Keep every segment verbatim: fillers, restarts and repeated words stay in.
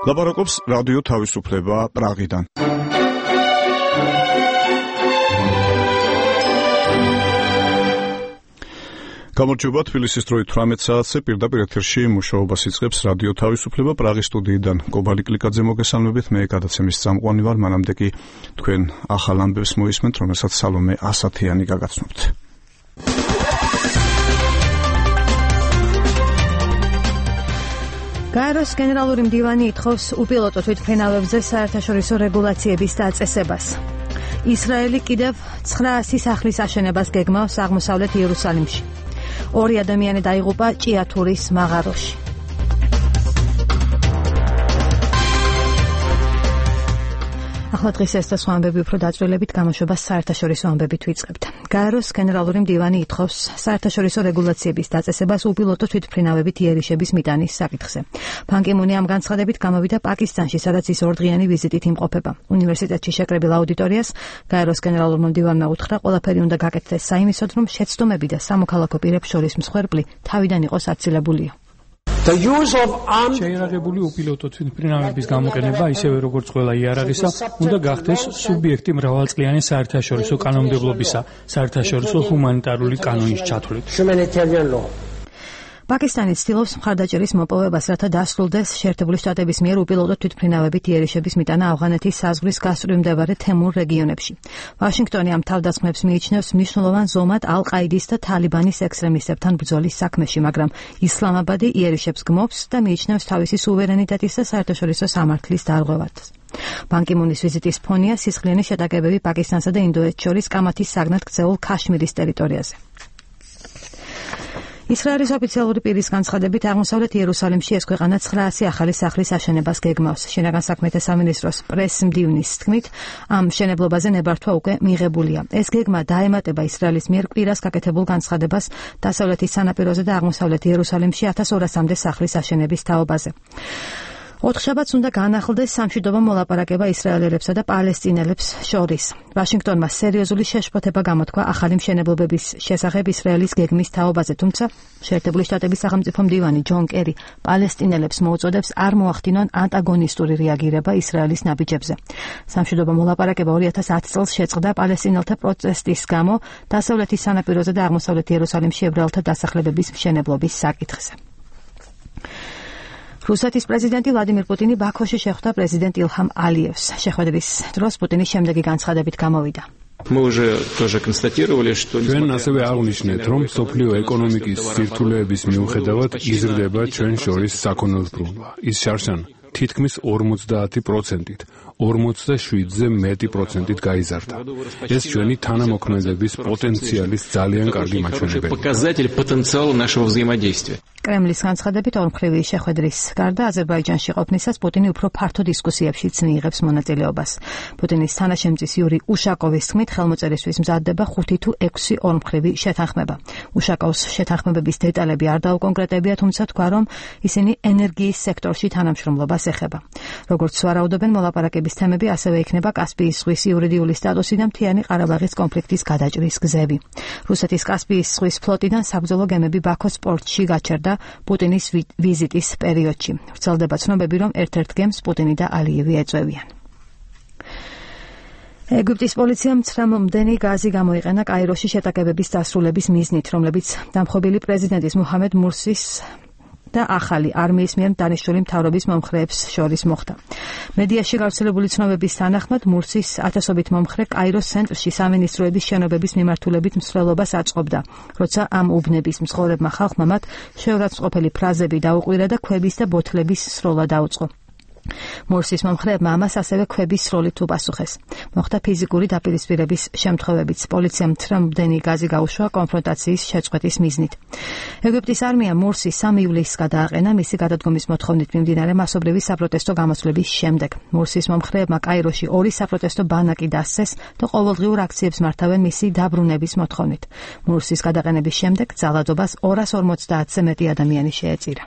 ლაპარაკობს რადიო თავისუფლება პრაღიდან. გამარჯობა, თბილისის დროით თვრამეტ საათზე პირდაპირ ეთერში მუშაობას იწყებს რადიო თავისუფლება პრაღის სტუდიიდან. კობალი კლიკაძე მოგესალმებით, მე გადაცემის წამყვანი ვარ, მანამდე კი თქვენ ახალ ამბებს მოისმენთ, რომელსაც სალომე ასათიანი გაგაცნობთ. გაეროს გენერალური მდივანი ითხოვს უპილოტო თვითმფრინავებზე საერთაშორისო რეგულაციების დაწესებას. ისრაელი კიდევ ცხრაასი სახლის აშენებას გეგმავს აღმოსავლეთ იერუსალიმში. ორი ადამიანი დაიღუპა ჭიათურის მაღაროში. ახლა დღეს ეს და სხვა ამბები უფრო დაწვრილებით გამოშვებას საერთაშორისო ამბებით ვიწყებთ. გაეროს გენერალური მდივანი ითხოვს საერთაშორისო რეგულაციების დაწესებას უპილოტო თვითმფრინავებით იერიშების მიტანის საკითხზე. ბან კი მუნი ამ განცხადებით გამოვიდა პაკისტანში, სადაც ის ორდღიანი ვიზიტით იმყოფება. უნივერსიტეტში შეკრებილ აუდიტორიას გაეროს გენერალურმა მდივანმა უთხრა, ყველაფერი უნდა გაკეთდეს საიმისოდ, რომ შეცდომები და სამოქალაქო პირებს შორის მსხვერპლი თავიდან იყოს აცილებულია. შეიარაღებული უპილოტო თვითმფრინავების გამოყენება, ისევე როგორც ყველა იარაღისა, უნდა გახდეს სუბიექტი მრავალწლიანი საერთაშორისო კანონმდებლობისა, საერთაშორისო ჰუმანიტარული კანონის ჩათვლით. პაკისტანი ცდილობს მხარდაჭერის მოპოვებას, რათა დასრულდეს შეერთებული შტატების მიერ უპილოტო თვითმფრინავებით იერიშების მიტანა ავღანეთის საზღვრის გასწვრივ მდებარე თემურ რეგიონებში. ვაშინგტონი ამ თავდასხმებს მიიჩნევს მნიშვნელოვან ზომად ალ-ყაიდის და თალიბანის ექსტრემისტებთან ბრძოლის საქმეში, მაგრამ ისლამაბადი იერიშებს გმობს და მიიჩნევს თავისი სუვერენიტეტის და საერთაშორისო სამართლის დარღვევად. ბან კი მუნის ვიზიტის ფონია სისხლიანი შეტაკებები პაკისტანსა და ინდოეთს შორის კამათის საგნად ქცეულ ქაშმირის ტერიტორიაზე. ისრაელის ოფიციალური პირის განცხადებით აღმოსავლეთ იერუსალიმში ეს ქვეყანა ცხრაასი ახალი სახლის აშენებას გეგმავს. შინაგან საქმეთა სამინისტროს პრეს-მდივნის თქმით, ამ მშენებლობაზე ნებართვა უკვე მიღებულია. ეს გეგმა დაემატება ისრაელის მიერ კვირას გაკეთებულ განცხადებას დასავლეთის სანაპიროზე და აღმოსავლეთ იერუსალიმში ათას ორასამდე სახლის აშენების თაობაზე. ოთხშაბათს უნდა განახლდეს სამშვიდობო მოლაპარაკება ისრაელელებსა და პალესტინელებს შორის. ვაშინგტონმა სერიოზული შეშფოთება გამოთქვა ახალი მშენებლობების შესახებ ისრაელის გეგმის თაობაზე, თუმცა შეერთებული შტატების სახელმწიფო მდივანი ჯონ კერი პალესტინელებს მოუწოდებს არ მოახდინონ ანტაგონისტური რეაგირება ისრაელის ნაბიჯებზე. სამშვიდობო მოლაპარაკება ორი ათას ათი წელს შეწყდა პალესტინელთა პროტესტის გამო დასავლეთის სანაპიროზე და აღმოსავლეთ იერუსალიმში ებრაელთა დასახლებების მშენებლობის საკითხზე. რუსეთის პრეზიდენტი ვლადიმირ პუტინი ბაქოში შეხვდა პრეზიდენტ ილჰამ ალიევს. შეხვედრის დროს პუტინის შემდეგი განცხადებით გამოვიდა. ჩვენ ასევე აღვნიშნეთ, რომ მსოფლიო ეკონომიკის სირთულეების მიუხედავად იზრდება ჩვენ შორის საქონელბრუნვა. ის შარშან თითქმის ორმოცდაათი პროცენტით, ორმოცდაშვიდზე მეტი პროცენტით გაიზარდა. ეს ჩვენი თანამოქმედების პოტენციალის ძალიან კარგი მაჩვენებელია. კრემლის განცხადებით ორმხრივი შეხვედრის გარდა აზერბაიჯანში ყოფნისას პუტინი უფრო ფართო დისკუსიებშიც მიიღებს მონაწილეობას. პუტინის თანაშემწის იური უშაკოვის თქმით, ხელმოწერისთვის მზადდება ხუთი თუ ექვსი ორმხრივი შეთანხმება. უშაკოვს შეთანხმებების დეტალები არ დაუკონკრეტებია, თუმცა თქვა, რომ ისინი ენერგიის სექტორში თანამშრომლობას ეხება. როგორც ვარაუდობენ, მოლაპარაკების თემები ასევე იქნება კასპიის ზღვის იურიდიული სტატუსი და მთიანი ყარაბაღის კონფლიქტის გადაჭრის გზები. რუსეთის კასპიის ზღვის ფლოტიდან საბრძოლო გემები ბაქოს პორტში გაჩერდა პუტინის ვიზიტის პერიოდში. ვრცელდება ცნობები, რომ ერთ-ერთ გემს პუტინი და ალიევი ეწევიან. ეგვიპტის პოლიციამ ცხრამომდენი გაზი გამოიყენა კაიროში შეტაკებების დასრულების მიზნით, რომლებიც დამხობილი პრეზიდენტის მუჰამედ მურსის და ახალი არმიის მიერ დანიშნული მთავრობის მომხრეებს შორის მოხდა. მედიაში გავრცელებული ცნობების თანახმად მურსის ათასობით მომხრე კაიროს ცენტრში სამინისტროების შენობების მიმართულებით მსვლელობას აწყობდა, როცა ამ უბნების მცხოვრებმა ხალხმა მათ შეურაცხმყოფელი ფრაზები დაუყვირა და ქვების და ბოთლების სროლა დაუწყო. მურსის მომხრეებმა ამას ასევე ქვების სროლით უპასუხეს. მოხდა ფიზიკური დაპირისპირების შემთხვევებიც. პოლიციამ ცხრამომდენი გაზი გაუშვა კონფრონტაციის შეწყვეტის მიზნით. ეგვიპტის არმია მურსის სამი ივლისს გადააყენა მისი გადადგომის მოთხოვნით მიმდინარე მასობრივი საპროტესტო გამოსვლების შემდეგ. მურსის მომხრეებმა კაიროში ორი საპროტესტო ბანაკი დასცეს და ყოველდღიურ აქციებს მართავენ მისი დაბრუნების მოთხოვნით. მურსის გადაყენების შემდეგ ძალადობას ორას ორმოცდაათზე მეტი ადამიანი შეეწირა.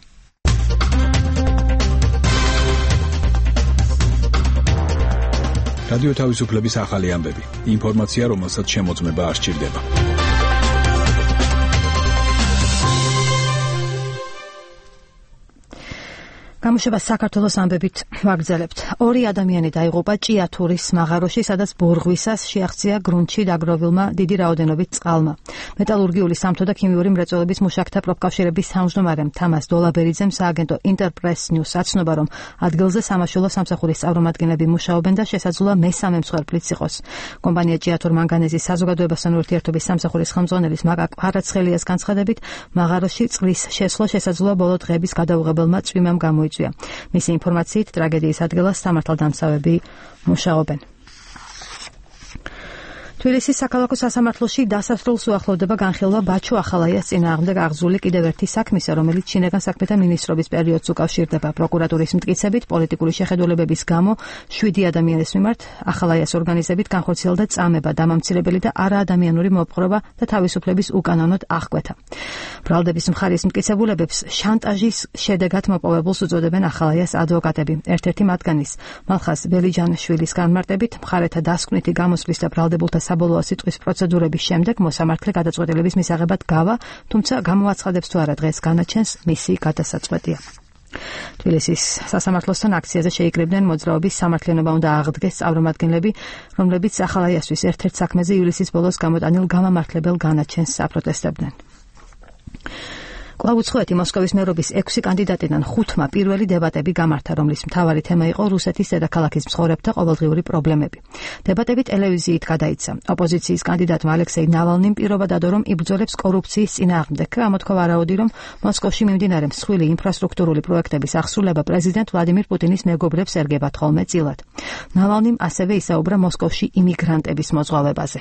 რადიო თავისუფლების ახალი ამბები. ინფორმაცია, რომელსაც შემოწმება არ სჭირდება. გამოშვება საქართველოს ამბებით ვაგრძელებთ. ორი ადამიანი დაიღუპა ჭიათურის მაღაროში, სადაც ბორღვისას შეაღწია გრუნტში დაგროვილმა დიდი რაოდენობით წყალმა. მეტალურგიული სამთო და ქიმიური მრეწველობის მუშაკთა პროფკავშირების თავმჯდომარემ თამას დოლაბერიძემ სააგენტო ინტერპრეს ნიუს აცნობა, რომ ადგილზე სამაშველო სამსახურის წარმომადგენლები მუშაობენ და შესაძლოა მესამე მსხვერპლიც იყოს. კომპანია ჭიათურ მანგანეზის საზოგადოებასთან ურთიერთობის სამსახურის ხელმძღვანელის მაკა ყვარაცხელიას განცხადებით, მაღაროში წყლის შესვლა შესაძლოა ბოლო დღეების გადაუღებელმა წვიმამ გამოიწვია. მისი ინფორმაციით ტრაგედიის ადგილას სამართალდამცავები მუშაობენ. თბილისის საქალაქო სასამართლოში დასასრულს უახლოვდება განხილვა ბაჩო ახალაიას წინააღმდეგ აღძრული კიდევ ერთი საქმისა, რომელიც შინაგან საქმეთა მინისტრობის პერიოდს უკავშირდება. პროკურატურის მტკიცებით, პოლიტიკური შეხედულებების გამო შვიდი ადამიანის მიმართ ახალაიას ორგანიზებით განხორციელდა წამება, დამამცირებელი და არაადამიანური მოპყრობა და თავისუფლების უკანონოდ აღკვეთა. ბრალდების მხარის მტკიცებულებებს შანტაჟის შედეგად მოპოვებულს უწოდებენ ახალაიას ადვოკატები. ერთ-ერთი მათგანის მალხაზ ბელიჯანიშვილის განმარტებით, მხარეთა დასკვნითი გამოსვლის და ბრალდებულთა საბოლოო სიტყვის პროცედურების შემდეგ მოსამართლე გადაწყვეტილების მისაღებად გავა, თუმცა გამოაცხადებს თუ არა დღეს განაჩენს მისი გადასაწყვეტია. თბილისის სასამართლოსთან აქციაზე შეიკრიბნენ მოძრაობის სამართლიანობა უნდა აღდგეს წარმომადგენლები, რომლებიც ახალაიასთვის ერთ-ერთ საქმეზე ივლისის ბოლოს გამოტანილ გამამართლებელ განაჩენს აპროტესტებდნენ. კვლავ უცხოეთი მოსკოვის მერობის ექვსი კანდიდატიდან ხუთმა პირველი დებატები გამართა, რომლის მთავარი თემა იყო რუსეთის დედაქალაქის მცხოვრებთა ყოველდღიური პრობლემები. დებატები ტელევიზიით გადაიცა. ოპოზიციის კანდიდატმა ალექსეი ნავალნიმ პირობა დადო, რომ იბრძოლებს კორუფციის წინააღმდეგ. ამოთქვა ვარაუდი, რომ მოსკოვში მიმდინარე მსხვილი ინფრასტრუქტურული პროექტების ახსრულება პრეზიდენტ ვლადიმირ პუტინის მეგობრებს ერგებათ ხოლმე წილად. ნავალნიმ ასევე ისაუბრა მოსკოვში იმიგრანტების მოზღვავებაზე.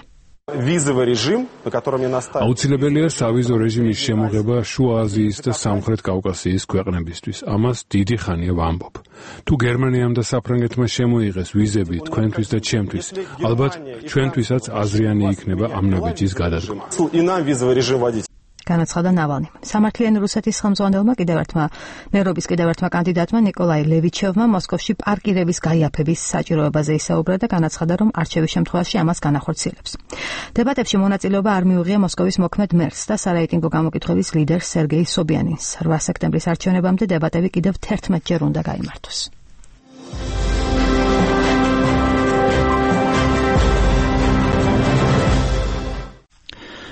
აუცილებელია სავიზო რეჟიმის შემოღება შუა აზიის და სამხრეთ კავკასიის ქვეყნებისთვის. ამას დიდი ხანია ვამბობ. თუ გერმანიამ და საფრანგეთმა შემოიღეს ვიზები თქვენთვის და ჩემთვის, ალბათ ჩვენთვისაც აზრიანი იქნება ამ ნაბიჯის გადადგმა. განაცხადა ნავალნიმ. სამართლიანი რუსეთის ხელმძღვანელმა კიდევ ერთმა მერობის კიდევ ერთმა კანდიდატმა ნიკოლაი ლევიჩევმა მოსკოვში პარკირების გაიაფების საჭიროებაზე ისაუბრა და განაცხადა, რომ არჩევის შემთხვევაში ამას განახორციელებს. დებატებში მონაწილეობა არ მიუღია მოსკოვის მოქმედ მერს და სარეიტინგო გამოკითხვების ლიდერს სერგეი სობიანინს. რვა სექტემბრის არჩევნებამდე დებატები კიდევ თერთმეტჯერ უნდა გაიმართოს.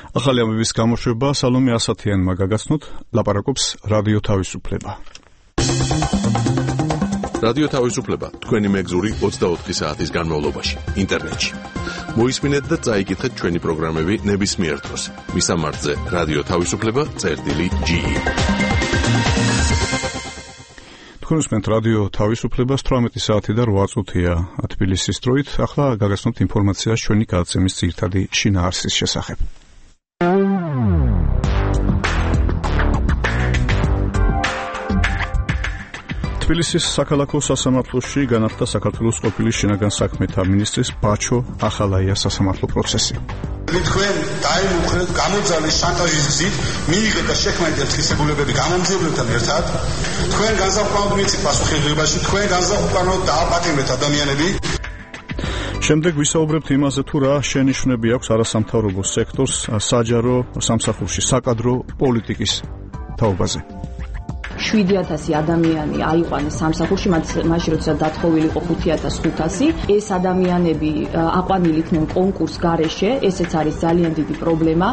ახალი ამბების გამოშვება სალომე ასათიანმა გაგაცნოთ, ლაპარაკობს რადიო თავისუფლება. რადიო თავისუფლება თქვენი მეგზური ოცდაოთხი საათის განმავლობაში ინტერნეტში. მოისმინეთ და წაიკითხეთ ჩვენი პროგრამები ნებისმიერ დროს. მისამართზე რადიო თავისუფლება წერტილი ჯი. თქვენ უსმენთ რადიო თავისუფლებას თვრამეტი საათი და რვა წუთია თბილისის დროით. ახლა გაგაცნოთ ინფორმაცია ჩვენი გადაცემის ძირითადი შინაარსის შესახებ. თბილისის საქალაქო სასამართლოში განახლდა საქართველოს ყოფილი შინაგან საქმეთა მინისტრის ბაჩო ახალაიას სასამართლო პროცესი. თქვენ დაიმუქრეთ გამოძალეს შანტაჟის გზით, მიიღეთ და შექმნით ღირსებულებები გამომძიებლებთან ერთად. თქვენ განსაკუთრებით მიცით პასუხისმგებლობაში, თქვენ განსაკუთრებით დააპატიმრეთ ადამიანები. შემდეგ ვისაუბრებთ იმაზე, თუ რა შენიშვნები აქვს არასამთავრობო სექტორს საჯარო სამსახურში საკადრო პოლიტიკის თაობაზე. შვიდი ათასი ადამიანი აიყვანეს სამსახურში, მაშინ როცა დათხოვილი იყო ხუთი ათას ხუთასი. ეს ადამიანები აყვანილი იქნენ კონკურს გარეშე, ესეც არის ძალიან დიდი პრობლემა.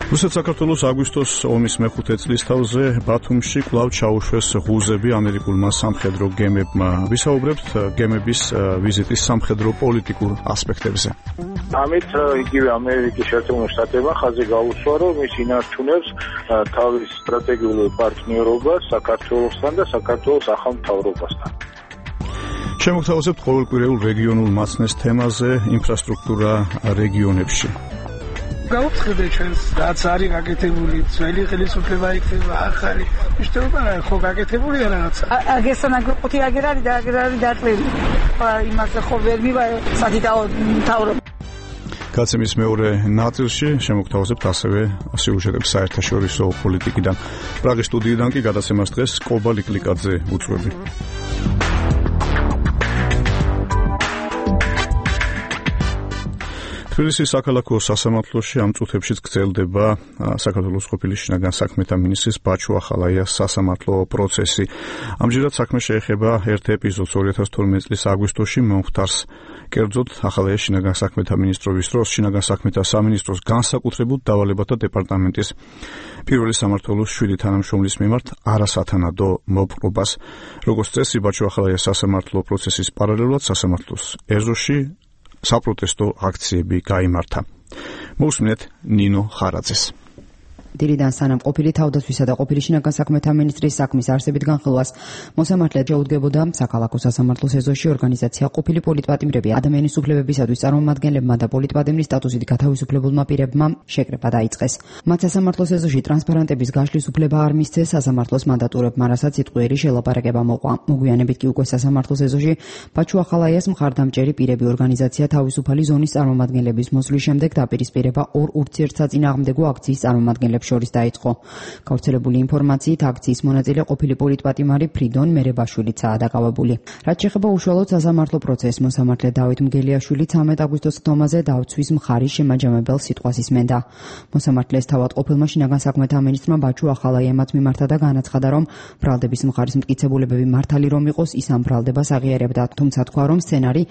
რუსეთ-საქართველოს აგვისტოს ომის მეხუთე წლისთავზე ბათუმში კვლავ ჩაუშვეს ღუზები ამერიკულმა სამხედრო გემებმა. ვისაუბრებთ გემების ვიზიტის სამხედრო პოლიტიკურ ასპექტებზე. ამით იგივე ამერიკის შეერთებული შტატებმა ხაზი გაუსვა, რომ ის ინარჩუნებს თავის სტრატეგიულ პარტნიორობას საქართველოსთან და საქართველოს ახალ მთავრობასთან. შემოგთავაზებთ ყოველკვირეულ რეგიონულ მაცნეს თემაზე ინფრასტრუქტურა რეგიონებში. გავუცხადეთ ჩვენს რაც არის გაკეთებული, ძველი ხელისუფლება იქნება ახალი. მიშტობა ხო გაკეთებულია რაღაც. აგესა ნაგრუპი აგერ არის და აგერ არის დაწლილი. იმაზე ხო ვერ მივარ სადიდაო მთავრობა. კაცემის მეორე ნაწილში შემოგთავაზებთ ასევე სიუჟეტებს საერთაშორისო პოლიტიკიდან. პრაღის სტუდიიდან კი გადაცემას დღეს კობა ლიკლიკაძე უწვევი. თბილისის საქალაქო სასამართლოში ამ წუთებშიც გრძელდება საქართველოს ყოფილი შინაგან საქმეთა მინისტრის ბაჩუ ახალაიას სასამართლო პროცესი. ამჯერად საქმე შეეხება ერთ ეპიზოდს ორი ათას თორმეტი წლის აგვისტოში მომხდარს. კერძოდ ახალაია შინაგან საქმეთა მინისტრობის დროს შინაგან საქმეთა სამინისტროს განსაკუთრებულ დავალებათა დეპარტამენტის პირველი სამმართველოს შვიდი თანამშრომლის მიმართ არასათანადო მოპყრობას. როგორც წესი, ბაჩუ ახალაიას სასამართლო პროცესის პარალელურად სასამართლოს ეზოში საპროტესტო აქციები გაიმართა. მოусმინეთ ნინო ხარაძეს. დილიდან სანამ ყოფილი თავდაცვისა და ყოფილი შინაგან საქმეთა მინისტრის საქმის არსებით განხილვას მოსამართლე შეუდგებოდა საქალაქო სასამართლოს ეზოში ორგანიზაცია ყოფილი პოლიტპატიმრები ადამიანის უფლებებისათვის წარმომადგენლებმა და პოლიტპატიმრის სტატუსით გათავისუფლებულმა პირებმა შეკრება დაიწყეს. მათ სასამართლოს ეზოში ტრანსპარენტების გაშლის უფლება არ მისცეს სასამართლოს მანდატურებმა, რასაც სიტყვიერი შელაპარაკება მოყვა. მოგვიანებით კი უკვე სასამართლოს ეზოში ბაჩუ ახალაიას მხარდამჭერი პირები ორგანიზაცია თავისუფალი ზონის წარმომადგენლების მოსვლის შემდეგ დაპირისპირება ორ ურთიერთსაწინააღმდეგო აქციის წარმომადგენლებს შორის დაიწყო. გავრცელებული ინფორმაციით აქციის მონაწილე ყოფილი პოლიტპატიმარი ფრიდონ მერებაშვილიცაა დაკავებული. რაც შეეხება უშუალოდ სასამართლო პროცესს, მოსამართლე დავით მგელიაშვილი ცამეტ აგვისტოს ხდომაზე დავცვის მხარის შემაჯამებელ სიტყვას ისმენდა. მოსამართლეს თავად ყოფილმა შინაგან საქმეთა მინისტრმა ბაჩუ ახალაიამაც მიმართა და განაცხადა, რომ ბრალდების მხარის მტკიცებულებები მართალი რომ იყოს, ის ამ ბრალდებას აღიარებდა, თუმცა თქვა, რომ სცენარი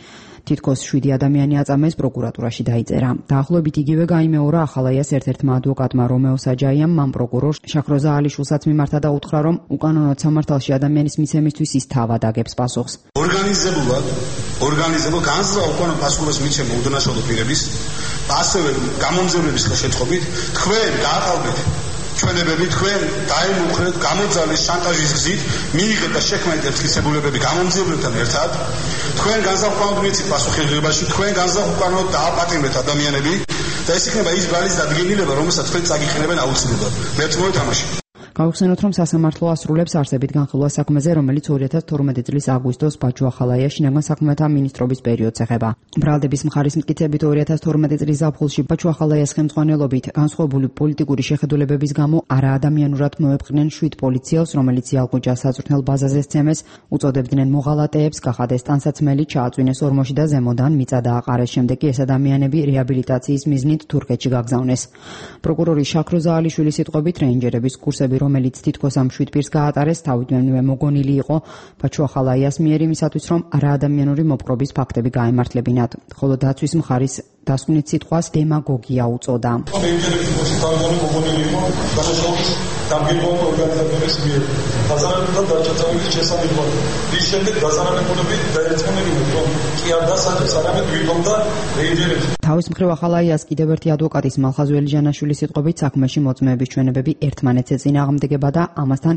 თითქოს შვიდი ადამიანი აწამეს პროკურატურაში დაიწერა. დაახლოებით იგივე გაიმეორა ახალაიას ერთ-ერთმა ადვოკატმა რომეო საჯაიამ მან პროკურორ შახროზა ალიშვილსაც მიმართა და უთხრა, რომ უკანონოდ სამართალში ადამიანის მიცემისთვის ის თავად აგებს პასუხს. ორგანიზებულად, ორგანიზებულ განსაზღვრა უკანონო პასუხის მიცემა უდანაშაულო პირების, ასევე გამომძიების ხელშეწყობით თქვენ გააყალბეთ ჩვენებები, თქვენ დაიმუქრეთ გამოძალეს შანტაჟის გზით, მიიღეთ და შექმნით ერთგისებულებები გამომძიებლებთან ერთად, თქვენ განსაკუთრებით მიცით პასუხისმგებლობაში, თქვენ განსაკუთრებით დააპატიმრეთ ადამიანები და ეს იქნება ის ბრალის დადგენილება, რომელსაც თქვენ წაგიყენებენ აუცილებლად. მეც მოითამაშე. გავხსენოთ, რომ სასამართლო ასრულებს არსებით განხილვა საქმეზე, რომელიც ორი ათას თორმეტი წლის აგვისტოს ბაჩუ ახალაია შინაგან საქმეთა მინისტრობის პერიოდს ეხება. ბრალდების მხარის მტკიცებით ორი ათას თორმეტი წლის ზაფხულში ბაჩუ ახალაიას ხელმძღვანელობით განსხვავებული პოლიტიკური შეხედულებების გამო არაადამიანურად მოეპყრნენ შვიდ პოლიციელს, რომელიც იალღუჯას საწვრთნელ ბაზაზე სცემეს, უწოდებდნენ მოღალატეებს, გახადეს ტანსაცმელი, ჩააწვინეს ორმოში და ზემოდან მიწა დააყარეს. შემდეგ კი ეს ადამიანები რეაბილიტაციის მიზნით თურქეთში გაგზავნეს. პროკურორი შახროზა ალიშვილის სიტყვებით რეინჯერების კურსები, რომელიც თითქოს ამ შვიდ პირს გაატარეს, თავიდანვე მოგონილი იყო ბაჩუ ახალაიას მიერ იმისათვის, რომ არაადამიანური მოპყრობის ფაქტები გაემართლებინათ. ხოლო დაცვის მხარის დასკვნით სიტყვას დემაგოგია უწოდა. დამგებოდი ორგანიზატორის მიერ დაზარალებულთა დაჯერების შესაძლებლად. ის შემდეგ დაზარალებულები დაერწმუნებინათ, რომ კი არ დასაჯეს, არამედ ვიღებდა რეინჯერებს. თავის მხრივ ახალაიას კიდევ ერთი ადვოკატის მალხაზ ველიჯანაშვილის სიტყვებით საქმეში მოწმეების ჩვენებები ერთმანეთს ეწინააღმდეგება და ამასთან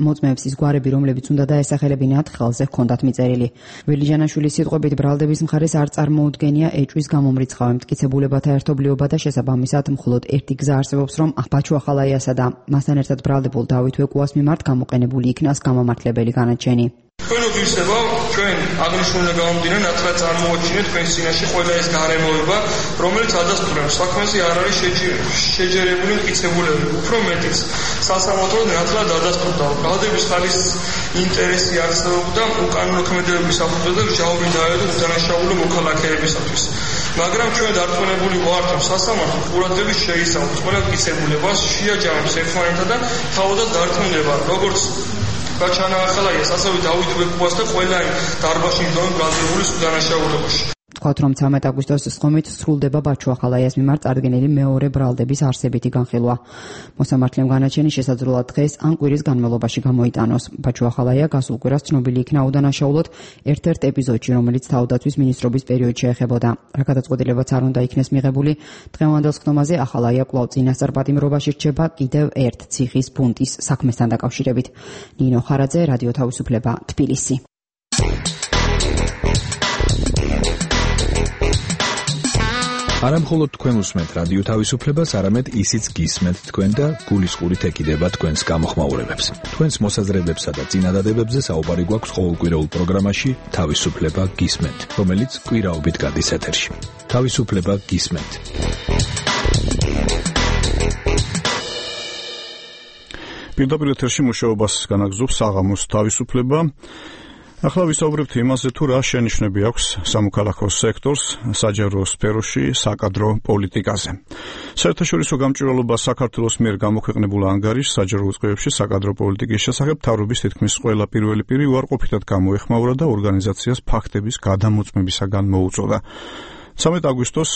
მოწმეების ის გვარები, რომლებიც უნდა დაესახელებინათ, ხელზე ჰქონდათ მიწერილი. ველიჯანაშვილის სიტყვებით ბრალდების მხარეს არ წარმოუდგენია ეჭვის გამომრიცხავი მტკიცებულებათა ერთობლიობა და შესაბამისად მხოლოდ ერთი გზა არსებობს, რომ ბაჩუ ახალაიასა და მასთან ერთად ბრალდებულ დავით ვეკუას მიმართ გამოყენებული იქნას გამომართლებელი განაჩენი. თქვენ უგისება, ჩვენ აღნიშნულიდან გამომდინარე, ნაცვლად წარმოუჩინეთ თქვენს წინაშე ყველა ეს გარემოება, რომელიც ადასტურებს საქმეზე არ არის შეჯერებული მტკიცებულებები. უფრო მეტიც, სასამართლო ნაცვლად ადასტურდა, ბრალდების ხალის ინტერესი არსებობდა უკანონო ქმედებების საფუძველზე მჟავრი დაედო უდანაშაულო მოქალაქეებისათვის. მაგრამ ჩვენ დარწმუნებული ვართ, რომ სასამართლო ყურადღებით შეისწავლოს ყველა მტკიცებულებას, შეაჯამებს ერთმანეთთან და თავადაც დარწმუნდება, როგორც ბაჩუ ახალაიას, ასევე დავით ვეკუას და ყველა დარბაზში მდგომი ბრალდებულის უდანაშაულებაში. ვთქვათ, რომ ცამეტ აგვისტოს სხდომით სრულდება ბაჩუ ახალაიას მიმართ წარდგენილი მეორე ბრალდების არსებითი განხილვა. მოსამართლემ განაჩენი შესაძლოა დღეს ან კვირის განმავლობაში გამოიტანოს. ბაჩუ ახალაია გასულ კვირას ცნობილი იქნა უდანაშაულოდ ერთ-ერთ ეპიზოდში, რომელიც თავდაცვის მინისტრობის პერიოდში ეხებოდა. რა გადაწყვეტილებაც არ უნდა იქნეს მიღებული, დღევანდელ სხდომაზე ახალაია კვლავ წინასწარ პატიმრობაში რჩება კიდევ ერთ ციხის ფუნტის საქმესთან დაკავშირებით. ნინო ხარაძე, რადიო თავისუფლება, თბილისი. არა მხოლოდ თქვენ უსმენთ რადიო თავისუფლებას, არამედ ისიც გისმენთ თქვენ და გულისყურით ეკიდება თქვენს გამოხმაურებებს. თქვენს მოსაზრებებსა და წინადადებებზე საუბარი გვაქვს ყოველკვირეულ პროგრამაში თავისუფლება გისმენთ, რომელიც კვირაობით გადის ეთერში. თავისუფლება გისმენთ. პირდაპირ ეთერში მუშაობას განაგრძობს საღამოს თავისუფლება. ახლა ვისაუბრებთ იმაზე, თუ რა შენიშვნები აქვს სამოქალაქო სექტორს საჯარო სფეროში საკადრო პოლიტიკაზე. საერთაშორისო გამჭვირვალობა საქართველოს მიერ გამოქვეყნებულ ანგარიშს საჯარო უწყებებში საკადრო პოლიტიკის შესახებ მთავრობის თითქმის ყველა პირველი პირი უარყოფითად გამოეხმაურა და ორგანიზაციას ფაქტების გადამოწმებისაგან მოუწოდა. ცამეტ აგვისტოს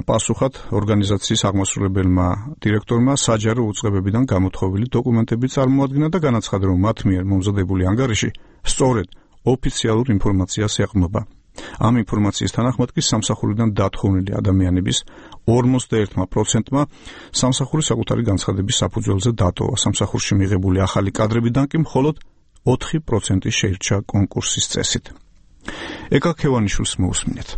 პასუხად ორგანიზაციის აღმასრულებელმა დირექტორმა საჯარო უწყებებიდან გამოთხოვილი დოკუმენტები წარმოადგინა და განაცხადა, რომ მათ მიერ მომზადებული ანგარიში სწორედ ოფიციალურ ინფორმაციას ეყრდნობა. ამ ინფორმაციის თანახმად კი სამსახურიდან დათხოვნილი ადამიანების ორმოცდაერთმა პროცენტმა სამსახური საკუთარი განცხადების საფუძველზე დატოვა. სამსახურში მიღებული ახალი კადრებიდან კი მხოლოდ ოთხი პროცენტი შეირჩა კონკურსის წესით. ეკა ქევანიშვილს მოусმინეთ.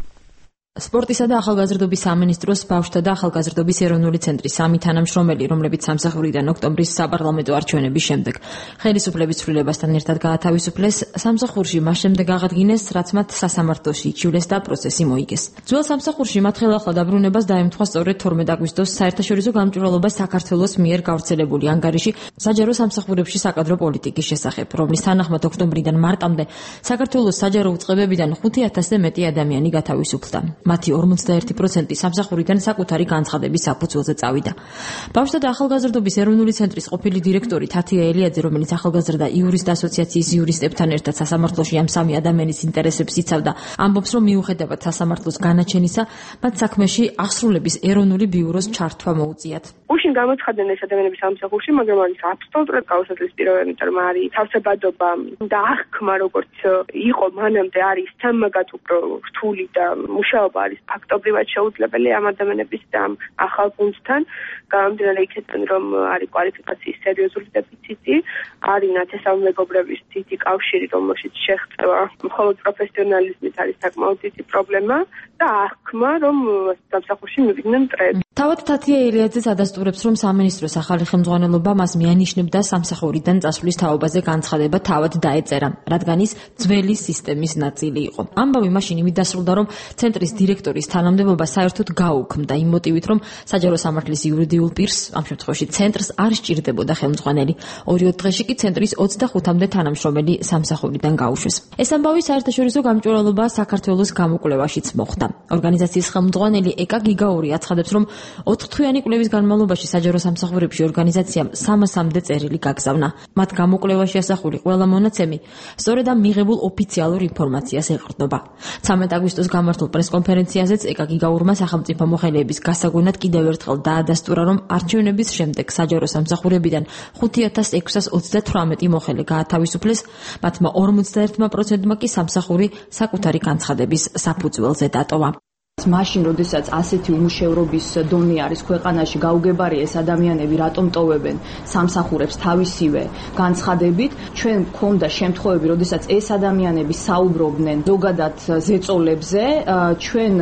სპორტისა და ახალგაზრდობის სამინისტროს ბავშვთა და ახალგაზრდობის ეროვნული ცენტრის სამი თანამშრომელი, რომლებიც სამსახურიდან ოქტომბრის საპარლამენტო არჩევნების შემდეგ ხელისუფლების ცვლილებასთან ერთად გაათავისუფლეს, სამსახურში მას შემდეგ აღადგინეს, რაც მათ სასამართლოში იჩივლეს და პროცესი მოიგეს. ძველ სამსახურში მათ ხელახლა დაბრუნებას დაემთხვა სწორედ თორმეტ აგვისტოს საერთაშორისო გამჭვირვალობა საქართველოს მიერ გავრცელებული ანგარიში საჯარო სამსახურებში საკადრო პოლიტიკის შესახებ, რომლის თანახმად ოქტომბრიდან მარტამდე საქართველოს საჯარო უწყებებიდან ხუთი ათასზე მეტი ადამიანი გათავისუფლდა. მათი ორმოცდაერთი პროცენტი სამსახურიდან საკუთარი განცხადების საფუძველზე წავიდა. ბავშვთა და ახალგაზრდობის ეროვნული ცენტრის ყოფილი დირექტორი თათია ელიაძე, რომელიც ახალგაზრდა იურისტ ასოციაციის იურისტებთან ერთად სასამართლოში ამ სამი ადამიანის ინტერესებს იცავდა, ამბობს, რომ მიუხედავად სასამართლოს განაჩენისა, მათ საქმეში აღსრულების ეროვნული ბიუროს ჩართვა მოუწიათ. უშინ გამოცხადნენ ეს ადამიანები სამსახურში, მაგრამ არის აბსოლუტურად გაუსაცდელი პირობები, რომ არის თავსებადობა და აღქმა, როგორც იყო მანამდე, არის სამაგად უფრო რთული და მუშაობა არის ფაქტობრივად შეუძლებელი ამ ადამიანების და ამ ახალ გუნდთან, გამომდინარე იქიდან, რომ არის კვალიფიკაციის სერიოზული დეფიციტი, არის ნათესაუმეგობრების დიდი კავშირი, რომელშიც შეღწევა მხოლოდ პროფესიონალიზმით არის საკმაოდ დიდი პრობლემა და აღქმა, რომ სამსახურში მივიდნენ მტრები. თავად თათია ელიაძეც ადასტურებს, რომ სამინისტროს ახალი ხელმძღვანელობა მას მიანიშნებდა სამსახურიდან წასვლის თაობაზე განცხადება თავად დაეწერა, რადგან ის ძველი სისტემის ნაწილი იყო. ამბავი მაშინ იმით დასრულდა, რომ ცენტრის დირექტორის თანამდებობა საერთოდ გაუქმდა იმ მოტივით, რომ საჯარო სამართლის იურიდიულ პირს, ამ შემთხვევაში ცენტრს, არ სჭირდებოდა ხელმძღვანელი. ორი-ოთხ დღეში კი ცენტრის ოცდახუთამდე თანამშრომელი სამსახურიდან გაუშვეს. ეს ამბავი საერთაშორისო გამჭვირვალობა საქართველოს გამოკვლევაშიც მოხვდა. ორგანიზაციის ხელმძღვანელი ეკა გიგაური აცხადებს, რომ ოთხთვიანი კვლევის განმავლობაში საჯარო სამსახურებში ორგანიზაციამ სამასამდე წერილი გაგზავნა. მათ გამოკვლევაში ასახული ყველა მონაცემი სწორედ ამ მიღებულ ოფიციალურ ინფორმაციას ეყრდნობა. ცამეტ აგვისტოს გამართულ პრესკონფერენციაზეც ეკა გიგაურმა სახელმწიფო მოხელეების გასაგონად კიდევ ერთხელ დაადასტურა, რომ არჩევნების შემდეგ საჯარო სამსახურებიდან ხუთი ათას ექვსას ოცდათვრამეტი მოხელე გაათავისუფლეს, მათმა ორმოცდაერთმა პროცენტმა კი სამსახური საკუთარი განცხადების საფუძველზე დატოვა. მაშინ, როდესაც ასეთი უმუშევრობის დონე არის ქვეყანაში, გაუგებარი ეს ადამიანები რატომ ტოვებენ სამსახურებს თავისივე განცხადებით, ჩვენ გვქონდა შემთხვევები, როდესაც ეს ადამიანები საუბრობდნენ ზოგადად ზეწოლებზე, ჩვენ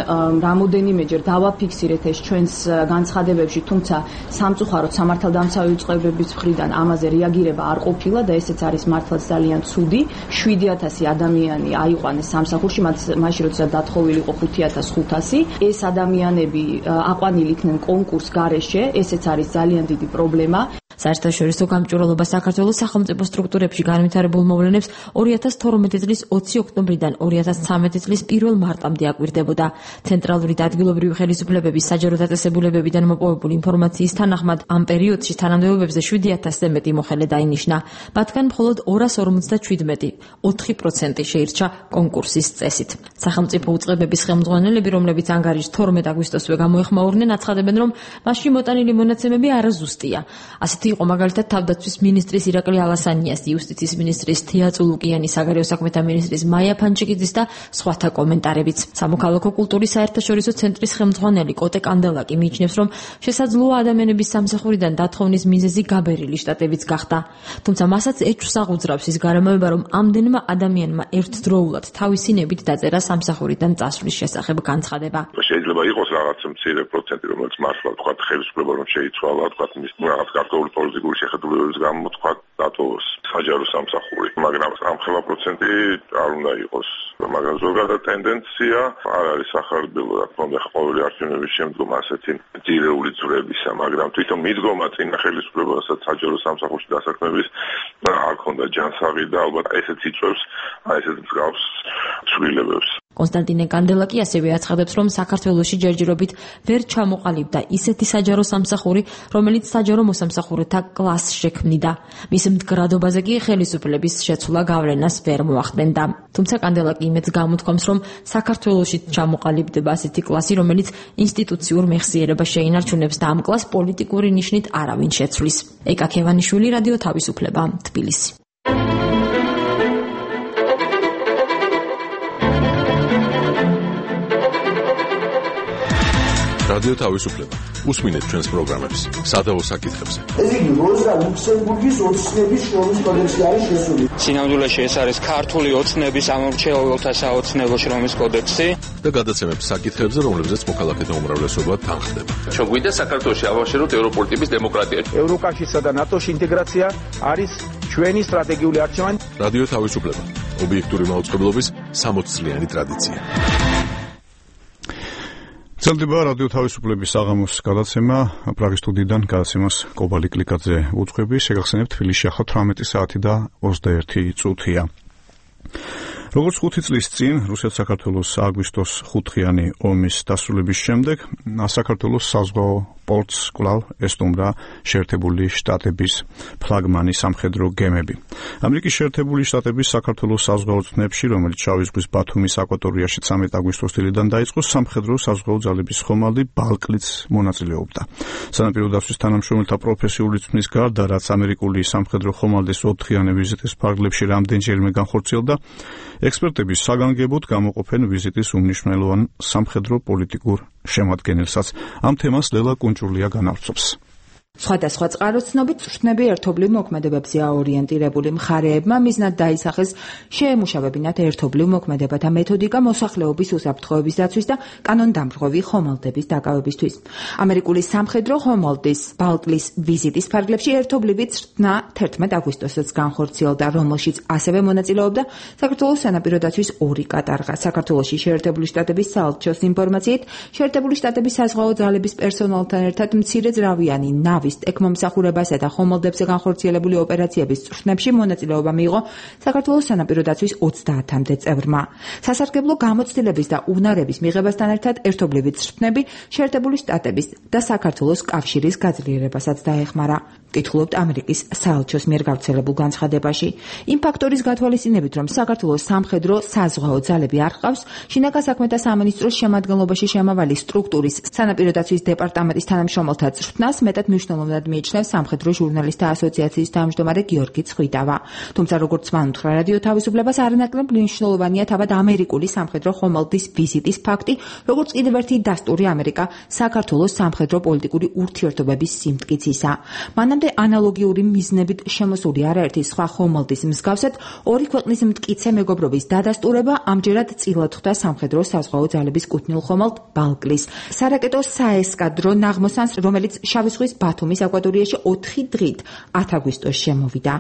რამოდენიმეჯერ დავაფიქსირეთ ეს ჩვენს განცხადებებში, თუმცა სამწუხაროდ სამართალდამცავი უწყებების მხრიდან ამაზე რეაგირება არ ყოფილა და ესეც არის მართლაც ძალიან ცუდი. შვიდი ათასი ადამიანი აიყვანეს სამსახურში, მაშინ როდესაც დათხოვილი იყო ხუთი ათას ხუთასი. ეს ადამიანები აყვანილი იქნენ კონკურს გარეშე, ესეც არის ძალიან დიდი პრობლემა. საერთაშორისო გამჭვირვალობა საქართველოს სახელმწიფო სტრუქტურებში განვითარებულ მოვლენებს ორი ათას თორმეტი წლის ოცი ოქტომბრიდან ორი ათას ცხრამეტი წლის პირველ მარტამდე აკვირდებოდა. ცენტრალური და ადგილობრივი ხელისუფლებების საჯარო დაწესებულებებიდან მოპოვებული ინფორმაციის თანახმად, ამ პერიოდში თანამდებობებზე შვიდი ათასზე მეტი მოხელე დაინიშნა. მათგან მხოლოდ ორას ორმოცდაჩვიდმეტი, ოთხი პროცენტი შეირჩა კონკურსის წესით. სახელმწიფო უწყებების ხელმძღვანელები, რომლებიც ანგარიშს თორმეტ აგვისტოსვე გამოეხმაურნენ, აცხადებენ, რომ მასში მოტანილი მონაცემები არაზუსტია. ასეთი იყო მაგალითად თავდაცვის მინისტრის ირაკლი ალასანიას, იუსტიციის მინისტრის თია წულუკიანის, საგარეო საქმეთა მინისტრის მაია ფანჩიკიძის და სხვათა კომენტარებიც. სამოქალაქო კულტურის საერთაშორისო ცენტრის ხელმძღვანელი კოტე კანდელაკი მიიჩნევს, რომ შესაძლოა ადამიანების სამსახურიდან დათხოვნის მიზეზი გაბერილი შტატებიც გახდა. თუმცა მასაც ეჭვს აღუძრავს ის გარემოება, რომ ამდენმა ადამიანმა ერთდროულად თავისი ნებით დაწერა სამსახურიდან წასვლის შესახებ განცხადება. შეიძლება იყოს რაღაც მცირე პროცენტი, რომელიც მართლა თქვა ხელისუფლება რომ შეიცვალა, თქვა მის რაღაც კარტოული პოლიტიკური შეხედულებების გამო თქვა დატოვოს საჯარო სამსახური, მაგრამ ამ ხელა პროცენტი არ უნდა იყოს. მაგრამ ზოგადად ტენდენცია არ არის სახარბელო, რა თქმა უნდა, ყოველი არჩევნების შემდგომ ასეთი ძირეული ძვრებისა, მაგრამ თვითონ მიდგომა წინა ხელისუფლებასაც საჯარო სამსახურში დასაქმების არ ქონდა ჯანსაღი და ალბათ ესეც იწვევს ესეთ მსგავს ცვლილებებს. კონსტანტინე კანდელაკი ასევე აცხადებს, რომ საქართველოში ჯერჯერობით ვერ ჩამოყალიბდა ისეთი საჯარო სამსახური, რომელიც საჯარო მოსამსახურეთა კლასს შექმნიდა. მის მდგრადობაზე კი ხელისუფლების შეცვლა გავლენას ვერ მოახდენდა. თუმცა კანდელაკი იმედს გამოთქვამს, რომ საქართველოში ჩამოყალიბდება ასეთი კლასი, რომელიც ინსტიტუციურ მეხსიერებას შეინარჩუნებს და ამ კლასს პოლიტიკური ნიშნით არავინ შეცვლის. ეკა ქევანიშვილი, რადიო თავისუფლება, თბილისი. რადიო თავისუფლება. უსმინეთ ჩვენს პროგრამებს სადავო საკითხებზე. ეს იგი როზა ლუქსემბურგის ოცნების შრომის კოდექსი არის შესული. სინამდვილეში ეს არის ქართული ოცნების ამორჩეულთა საოცნებო შრომის კოდექსი და გადაცემებს საკითხებზე, რომლებზეც მოქალაქეთა უმრავლესობა თანხდება. ჩვენ გვინდა საქართველოში ავაშეროთ ევროპული ტიპის დემოკრატია. ევროკავშირსა და ნატოს ინტეგრაცია არის ჩვენი სტრატეგიული არჩევანი. რადიო თავისუფლება. ობიექტური მაუწყებლობის სამოც წლიანი ტრადიცია. ძლდება რადიო თავისუფლების საღამოს გადაცემა პრაღის სტუდიიდან გადაცემას კობალი კლიკაძე უძღვები. შეგახსენებთ, თბილისში ახლა თვრამეტი საათი და ოცდაერთი წუთია. როგორც ხუთი წლის წინ რუსეთ-საქართველოს აგვისტოს ხუთხიანი ომის დასრულების შემდეგ საქართველოს საზღვაო პორტს კვლავ ესტუმრა შეერთებული შტატების ფლაგმანი სამხედრო გემები. ამერიკის შეერთებული შტატების საქართველოს საზღვაო თნებში, რომელიც შავი ზღვის ბათუმის აკვატორიაში ცამეტი აგვისტოს დილიდან დაიწყო, სამხედრო საზღვაო ძალების ხომალდი ბალკლიც მონაწილეობდა. სანაპირო დაცვის თანამშრომელთა პროფესიული თქმის გარდა, რაც ამერიკული სამხედრო ხომალდის ოთხიანი ვიზიტის ფარგლებში რამდენჯერმე განხორციელდა, ექსპერტების საგანგებოდ გამოყოფენ ვიზიტის უმნიშვნელოვან სამხედრო პოლიტიკურ შემადგენელსაც. ამ თემას ლელა კუნჭულია განავრცობს. სხვადასხვა წყაროცნობით შტნები ერთობლივ მოქმედებებზე აორიენტირებული მხარეებმა მიზნად დაისახეს შეემუშავებინათ ერთობლივ მოქმედებათა მეთოდიკა მოსახლეობის უსაფრთხოების დაცვის და კანონდამრღვევი ხომალდების დაკავებისთვის. ამერიკული სამხედრო ხომალდის ბალკლის ვიზიტის ფარგლებში ერთობლივი წვრთნა თერთმეტ აგვისტოსაც განხორციელდა, რომელშიც ასევე მონაწილეობდა საქართველოს სანაპირო დაცვის ორი კატარღა. საქართველოში შეერთებული შტატების საელჩოს ინფორმაციით, შეერთებული შტატების საზღვაო ძალების პერსონალთან ერთად მცირეძრავიანი ნავი ეკმომსახურებასა და ხომალდებზე განხორციელებული ოპერაციების წვრთნებში მონაწილეობა მიიღო საქართველოს სანაპირო დაცვის ოცდაათამდე წევრმა. სასარგებლო გამოცდილების და უნარების მიღებასთან ერთად ერთობლივი წვრთნები შეერთებული შტატების და საქართველოს კავშირის გაძლიერებასაც დაეხმარა. კითხულობთ ამერიკის საელჩოს მიერ გავრცელებულ განცხადებაში. იმ ფაქტორის გათვალისწინებით, რომ საქართველოს სამხედრო საზღვაო ძალები არ ჰყავს, შინაგან საქმეთა სამინისტროს შემადგენლობაში შემავალი სტრუქტურის სანაპირო დაცვის დეპარტამენტის თანამშრომელთა წვრთნას მეტად მნიშვნელოვნად მიიჩნევს სამხედრო ჟურნალისტთა ასოციაციის თავმჯდომარე გიორგი ცხვიდავა. თუმცა როგორც მან უთხრა რადიო თავისუფლებას, არანაკლებ მნიშვნელოვანია თავად ამერიკული სამხედრო ხომალდის ვიზიტის ფაქტი, როგორც კიდევ ერთი დასტური ამერიკა საქართველოს სამხედრო პოლიტიკური ურთიერთობების სიმტკიცისა. მანამდე ანალოგიური მიზნებით შემოსული არაერთი სხვა ხომალდის მსგავსად ორი ქვეყნის მტკიცე მეგობრობის დადასტურება ამჯერად წილად ხვდა სამხედრო საზღვაო ძალების კუთვნილ ხომალდ ბალკლის სარაკეტო საესკადრო ნაღმოსანს, რომელიც შავი ზღვის ბათუმის აკვატორიაში ოთხი დღით ათ აგვისტოს შემოვიდა.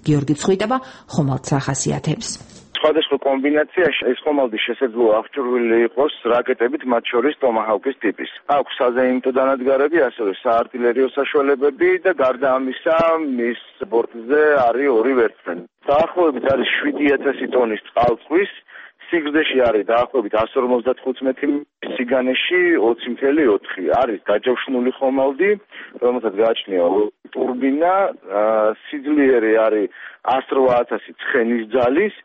გიორგი ცხვიდავა ხომალდს ახასიათებს. სხვადასხვა კომბინაციაში ეს ხომალდი შესაძლოა აღჭურვილი იყოს რაკეტებით, მათ შორის ტომაჰავკის ტიპის. აქვს საზეიმტო დანადგარები, ასევე საარტილერიო საშუალებები და გარდა ამისა, მის ბორტზე არის ორი ვერტმფრენი. დაახლოებით არის შვიდი ათასი ტონის წყალწვის, სიგრძეში არის დაახლოებით εκατს ორმოცდათხუთი მეტრი, სიგანეში ოცი წუთი ოთხი. არის დაჯავშნული ხომალდი, რომელსაც გააჩნია ტურბინა, სიძლიერე არის εκατს რვა ათასი ცხენის ძალის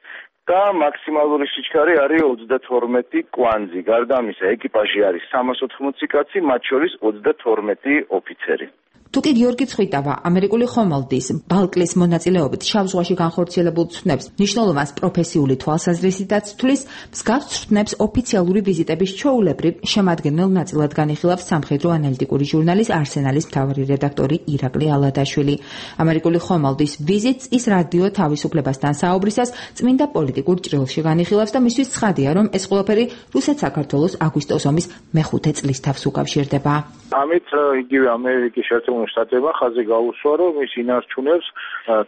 და მაქსიმალური სიჩქარე არის ოცდათორმეტი კვანძი. გარდა ამისა, ეკიპაჟი არის სამას ოთხმოცი კაცი, მათ შორის ოცდათორმეტი ოფიცერი. თუკი გიორგი ცხვიდავა ამერიკული ხომალდის ბალკლის მონაწილეობით შავ ზღვაში განხორციელებულ ცვლილებებს მნიშვნელოვანს პროფესიული თვალსაზრისითაც თვლის, მსგავს ცვლილებს ოფიციალური ვიზიტების ჩვეულებრივ შემადგენელ ნაწილად განიხილავს სამხედრო ანალიტიკური ჟურნალის არსენალის მთავარი რედაქტორი ირაკლი ალადაშვილი. ამერიკული ხომალდის ვიზიტს ის რადიო თავისუფლებასთან საუბრისას წმინდა პოლიტიკა პოლიტიკურ ჭრილში განიხილავს და მისთვის ცხადია, რომ ეს ყველაფერი რუსეთ-საქართველოს აგვისტოს ომის მეხუთე წლის თავს უკავშირდება. ამით იგივე ამერიკის შეერთებული შტატებმა ხაზი გაუსვა, რომ ის ინარჩუნებს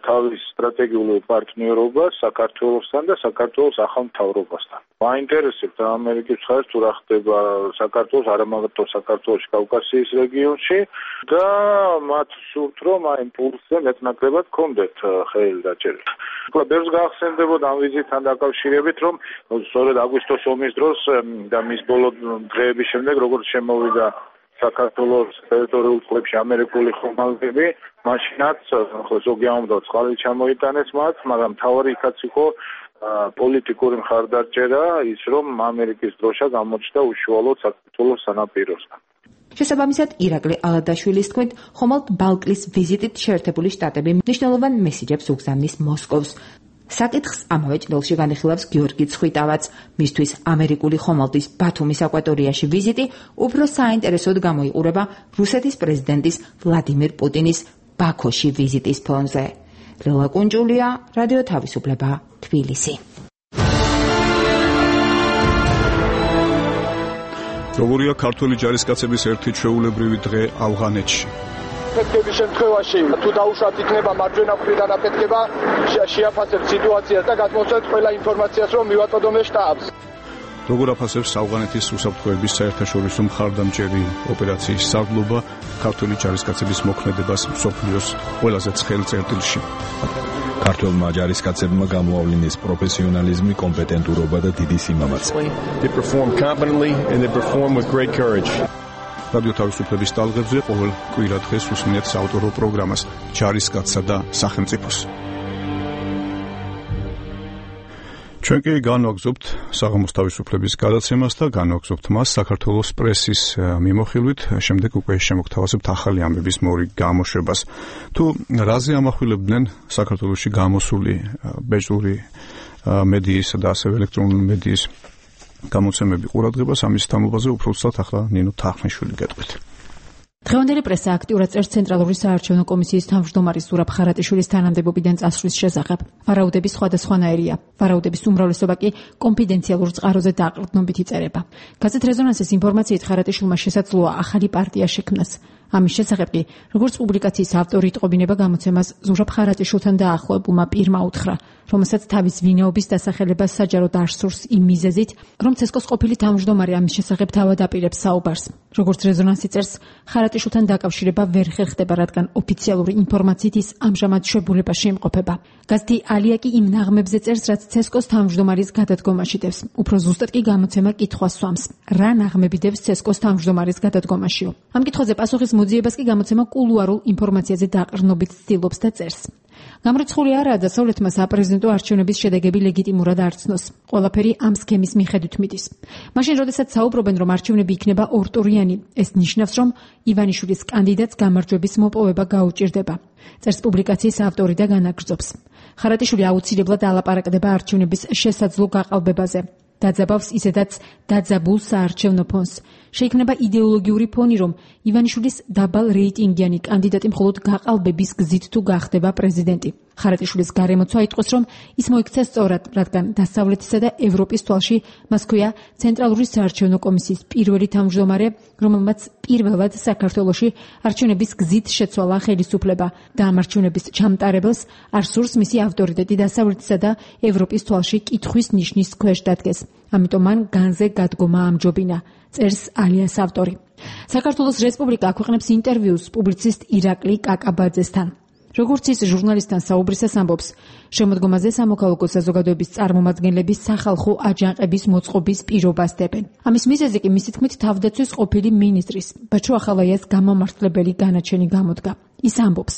თავის სტრატეგიულ პარტნიორობას საქართველოსთან და საქართველოს ახალ მთავრობასთან. მაინტერესებთ ამერიკის მხარეს თუ რა ხდება საქართველოს, არა მარტო საქართველოს, კავკასიის რეგიონში და მათ სურთ, რომ აი იმპულსზე მეტნაკლებად კონდეთ ხელი დაჭერილი. უკვე ბევრს გაახსენდებოდა ამ ვიზიტთან დაკავშირებით, რომ სწორედ აგვისტოს ომის დროს და მის ბოლო დღეების შემდეგ, როგორც შემოვიდა საქართველოს ტერიტორიულ წყლებში ამერიკული ხომალდები, მაშინაც ზოგი ამბობს წყალი ჩამოიტანეს მათ, მაგრამ თავი იქაც იყო პოლიტიკური მხარდაჭერა, ის რომ ამერიკის დროშა გამოჩნდა უშუალოდ საქართველოს სანაპიროსთან. შესაბამისად, ირაკლი ალადაშვილის თქმით, ხომალდ ბალკლის ვიზიტით შეერთებული შტატები მნიშვნელოვან მესიჯებს უგზავნის მოსკოვს. საკითხს ამავე ჭრილში განიხილავს გიორგი ცხვიტავაც. მისთვის ამერიკული ხომალდის ბათუმის აკვატორიაში ვიზიტი უფრო საინტერესოდ გამოიყურება რუსეთის პრეზიდენტის ვლადიმირ პუტინის ბაქოში ვიზიტის ფონზე. ლელა კუნჯულია, რადიო თავისუფლება, თბილისი. როგორია ქართველი ჯარისკაცების ერთი ჩვეულებრივი დღე ავღანეთში? აფეთქების შემთხვევაში თუ დაუშვათ იქნება მარჯვენა მხრიდან აფეთქება, შეაფასებთ სიტუაციას და გადმოსცემთ ყველა ინფორმაციას, რომ მივაწოდოთ შტაბს. როგორ აფასებს ავღანეთის უსაფრთხოების საერთაშორისო მხარდამჭერი ოპერაციის სარდლობა ქართველი ჯარისკაცების მოქმედებას მსოფლიოს ყველაზე ცხელ წერტილში? ქართველმა ჯარისკაცებმა გამოავლინეს პროფესიონალიზმი, კომპეტენტურობა და დიდი სიმამაცე. They perform competently and they perform with great courage. რადიო თავისუფლების ტალღებზე ყოველ კვირა დღეს უსმენთ საავტორო პროგრამას ჯარისკაცსა და სახელმწიფოს. ჩვენ კი განვაგზობთ საღამოს თავისუფლების გადაცემას და განვაგზობთ მას საქართველოს პრესის მიმოხილვით, შემდეგ უკვე შემოგთავაზებთ ახალი ამბების მორიგ გამოშვებას. თუ რაზე ამახვილებდნენ საქართველოში გამოსული ბეჭდური მედიისა და ასევე ელექტრონული მედიის გამოცემები ყურადღებას, ამის თამობაზე უფრო უცბად ახლა ნინო თახმიშვილი გეტყვით. დღევანდელი პრესა აქტიურად წერს ცენტრალური საარჩევნო კომისიის თავმჯდომარის ზურაბ ხარატიშვილის თანამდებობიდან წასვლის შესახებ. ვარაუდები სხვადასხვანაირია. ვარაუდების უმრავლესობა კი კონფიდენციალურ წყაროზე დაყრდნობით იწერება. გაზეთ რეზონანსის ინფორმაციით ხარატიშვილმა შესაძლოა ახალი პარტია შექმნას. ამის შესახებ კი, როგორც პუბლიკაციის ავტორი იტყობინება გამოცემას ზურაბ ხარატიშვილთან დაახლოებულმა პირმა უთხრა, რომელსაც თავის ვინაობის დასახელებას საჯაროდ არ სურს იმ მიზეზით, რომ ცესკოს ყოფილი თავმჯდომარე ამის შესახებ თავად აპირებს საუბარს. როგორც რეზონანსი წერს, ხარატიშვილთან დაკავშირება ვერ ხერხდება, რადგან ოფიციალური ინფორმაციით ის ამჟამად შებულებაში იმყოფება. გაზეთი ალია კი იმ ნაღმებზე წერს, რაც ცესკოს თავმჯდომარის გადადგომაში დევს. უფრო ზუსტად კი გამოცემა კითხვას სვამს: რა ნაღმები დევს ცესკოს თავმჯდომარის გადადგომაშიო? ამ კითხვაზე პასუხის მოძიებას კი გამოცემა კულუარულ ინფორმაციაზე დაყრდნობით ცდილობს და წერს. გამრიცხული არაა დასავლეთმა საპრეზიდენტო არჩევნების შედეგები ლეგიტიმურად არცნოს. ყველაფერი ამ სქემის მიხედვით მიდის. მაშინ, როდესაც საუბრობენ, რომ არჩევნები იქნება ორტურიანი, ეს ნიშნავს, რომ ივანიშვილის კანდიდატს გამარჯვების მოპოვება გაუჭირდება. წერს პუბლიკაციის ავტორი და განაგრძობს. ხარატიშვილი აუცილებლად ალაპარაკდება არჩევნების შესაძლო გაყალბებაზე. დაძაბავს ისედაც დაძაბულ საარჩევნო ფონს. შეიქმნება იდეოლოგიური ფონი, რომ ივანიშვილის დაბალ რეიტინგიანი კანდიდატი მხოლოდ გაყალბების გზით თუ გახდება პრეზიდენტი. ხარატიშვილის გარემოცვა იტყვის, რომ ის მოიქცა სწორად, რადგან დასავლეთისა და ევროპის თვალში მას ჰქვია ცენტრალური საარჩევნო კომისიის პირველი თავმჯდომარე, რომელმაც პირველად საქართველოში არჩევნების გზით შეცვალა ხელისუფლება და ამ არჩევნების ჩამტარებელს არ სურს მისი ავტორიტეტი დასავლეთისა და ევროპის თვალში კითხვის ნიშნის ქვეშ დადგეს. ამიტომ მან განზე გადგომა ამჯობინა, წერს ალიას ავტორი. საქართველოს რესპუბლიკა აქვეყნებს ინტერვიუს პუბლიცისტ ირაკლი კაკაბაძესთან. როგორც ის ჟურნალისტთან საუბრისას ამბობს, შემოდგომაზე სამოქალაქო საზოგადოების წარმომადგენლები სახალხო აჯანყების მოწყობის პირობას დებენ. ამის მიზეზი კი მისი თქმით თავდაცვის ყოფილი მინისტრის ბაჩო ახალაიას გამომართლებელი განაჩენი გამოდგა. ის ამბობს,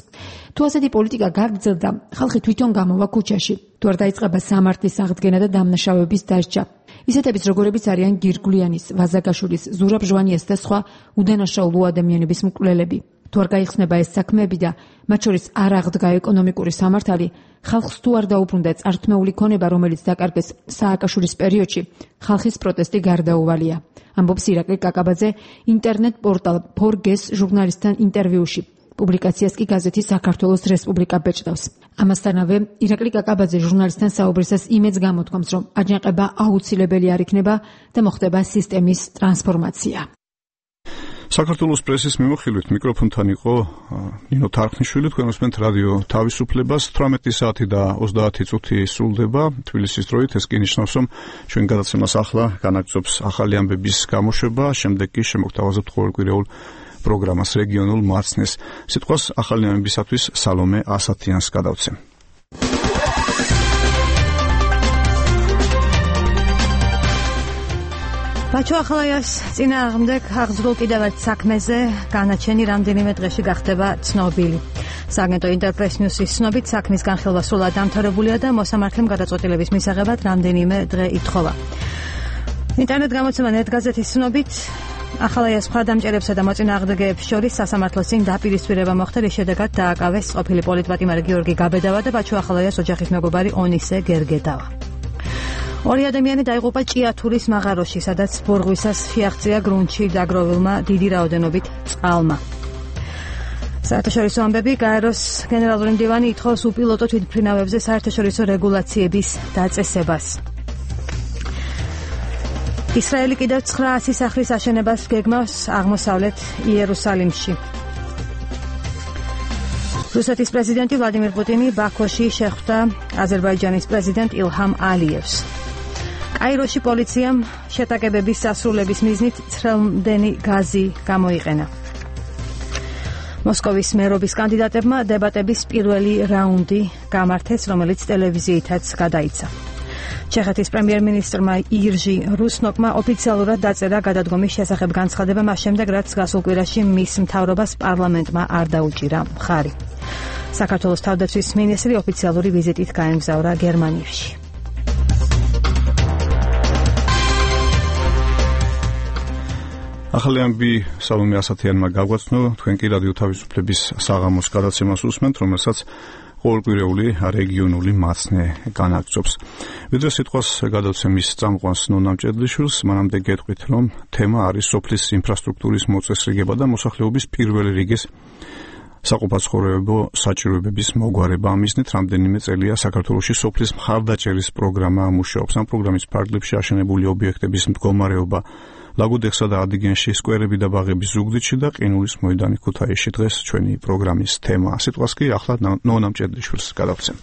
თუ ასეთი პოლიტიკა გაგრძელდა, ხალხი თვითონ გამოვა ქუჩაში, თუ არ დაიწყება სამართლის აღდგენა და დამნაშავეების დასჯა. ისეთების როგორებიც არიან გირგვლიანის, ვაზაგაშვილის, ზურაბ ჟვანიას და სხვა უდანაშაულო ადამიანების მკვლელები. თუ არ გაიხსნება ეს საქმეები და მათ შორის არ აღდგა ეკონომიკური სამართალი, ხალხს თუ არ დაუბრუნდა წართმეული ქონება, რომელიც დაკარგეს სააკაშვილის პერიოდში, ხალხის პროტესტი გარდაუვალია. ამბობს ირაკლი კაკაბაძე ინტერნეტ პორტალ ფორგეს ჟურნალისტთან ინტერვიუში. პუბლიკაციას კი გაზეთი საქართველოს რესპუბლიკა ბეჭდავს. ამასთანავე ირაკლი კაკაბაძე ჟურნალისტთან საუბრისას იმედს გამოთქვამს, რომ აჯანყება აუცილებელი არ იქნება და მოხდება სისტემის ტრანსფორმაცია. საქართველოს პრესის მიმოხილვით მიკროფონთან იყო ნინო თარხნიშვილი. თქვენ უსმენთ რადიო თავისუფლებას. თვრამეტი საათი და ოცდაათი წუთი სრულდება თბილისის დროით. ეს კი ნიშნავს, რომ ჩვენ გადაცემას ახლა განაგრძობს ახალი ამბების გამოშვება, შემდეგ კი შემოგთავაზებთ ყოველკვირეულ პროგრამას რეგიონულ მარცხნეს. სიტყვას ახალი ამბებისათვის სალომე ასათიანს გადავცემ. ბაჩო ახალაიას წინააღმდეგ აღძრულ კიდევ ერთ საქმეზე განაჩენი რამდენიმე დღეში გახდება ცნობილი. სააგენტო ინტერპრეს ნიუსის ცნობით საქმის განხილვა სრულად დამთავრებულია და მოსამართლემ გადაწყვეტილების მისაღებად რამდენიმე დღე ითხოვა. ინტერნეტ გამოცემა ნეტგაზეთის ცნობით ახალაიას მხარდამჭერებსა და მოწინააღმდეგეებს შორის სასამართლოს წინ დაპირისპირება მოხდა, რის შედეგად დააკავეს ყოფილი პოლიტპატიმარი გიორგი გაბედავა და ბაჩო ახალაიას ოჯახის მეგობარი ონისე გერგედავა. ორი ადამიანი დაიღუპა ჭიათურის მაღაროში, სადაც ბორღვისას შეაღწია გრუნტში დაგროვილმა დიდი რაოდენობით წყალმა. საერთაშორისო ამბები. გაეროს გენერალური მდივანი ითხოვს უპილოტო თვითმფრინავებზე საერთაშორისო რეგულაციების დაწესებას. ისრაელი კიდევ ცხრაასი სახლის აშენებას გეგმავს აღმოსავლეთ იერუსალიმში. რუსეთის პრეზიდენტი ვლადიმირ პუტინი ბაქოში შეხვდა აზერბაიჯანის პრეზიდენტ ილჰამ ალიევს. კაიროში პოლიციამ შეტაკებების სასრულების მიზნით ცრემლმდენი გაზი გამოიყენა. მოსკოვის მერობის კანდიდატებმა დებატების პირველი რაუნდი გამართეს, რომელიც ტელევიზიითაც გადაიცა. ჩეხეთის პრემიერ-მინისტრმა ირჟი რუსნოკმა ოფიციალურად დაწერა გადადგომის შესახებ განცხადება მას შემდეგ, რაც გასულ კვირაში მის მთავრობას პარლამენტმა არ დაუჭირა მხარი. საქართველოს თავდაცვის მინისტრი ოფიციალური ვიზიტით გაემგზავრა გერმანიაში. ახალი ამბი სალომე ასათიანმა გაგვაცნო. თქვენ კი რადიო თავისუფლების საღამოს გადაცემას უსმენთ, რომელსაც ყოველკვირეული რეგიონული მარცხნე განაგრძობს. ვიდრე სიტყვას გადავცემ მის წამყვანს ნონა მჭედლიშვილს, მანამდე გეტყვით, რომ თემა არის სოფლის ინფრასტრუქტურის მოწესრიგება და მოსახლეობის პირველი რიგის საყოფაცხოვრებო საჭიროებების მოგვარება. ამ მიზნით რამდენიმე წელია საქართველოში სოფლის მხარდაჭერის პროგრამა მუშაობს. ამ პროგრამის ფარგლებში აშენებული ობიექტების მდგომარეობა ლაგოდეხსა და ადიგენში, სკვერები და ბაღები ზუგდიდში და ყინულის მოედანი ქუთაისში დღეს ჩვენი პროგრამის თემაა. სიტყვას კი ახლა ნონა მჭედლიშვილს გადავცემ.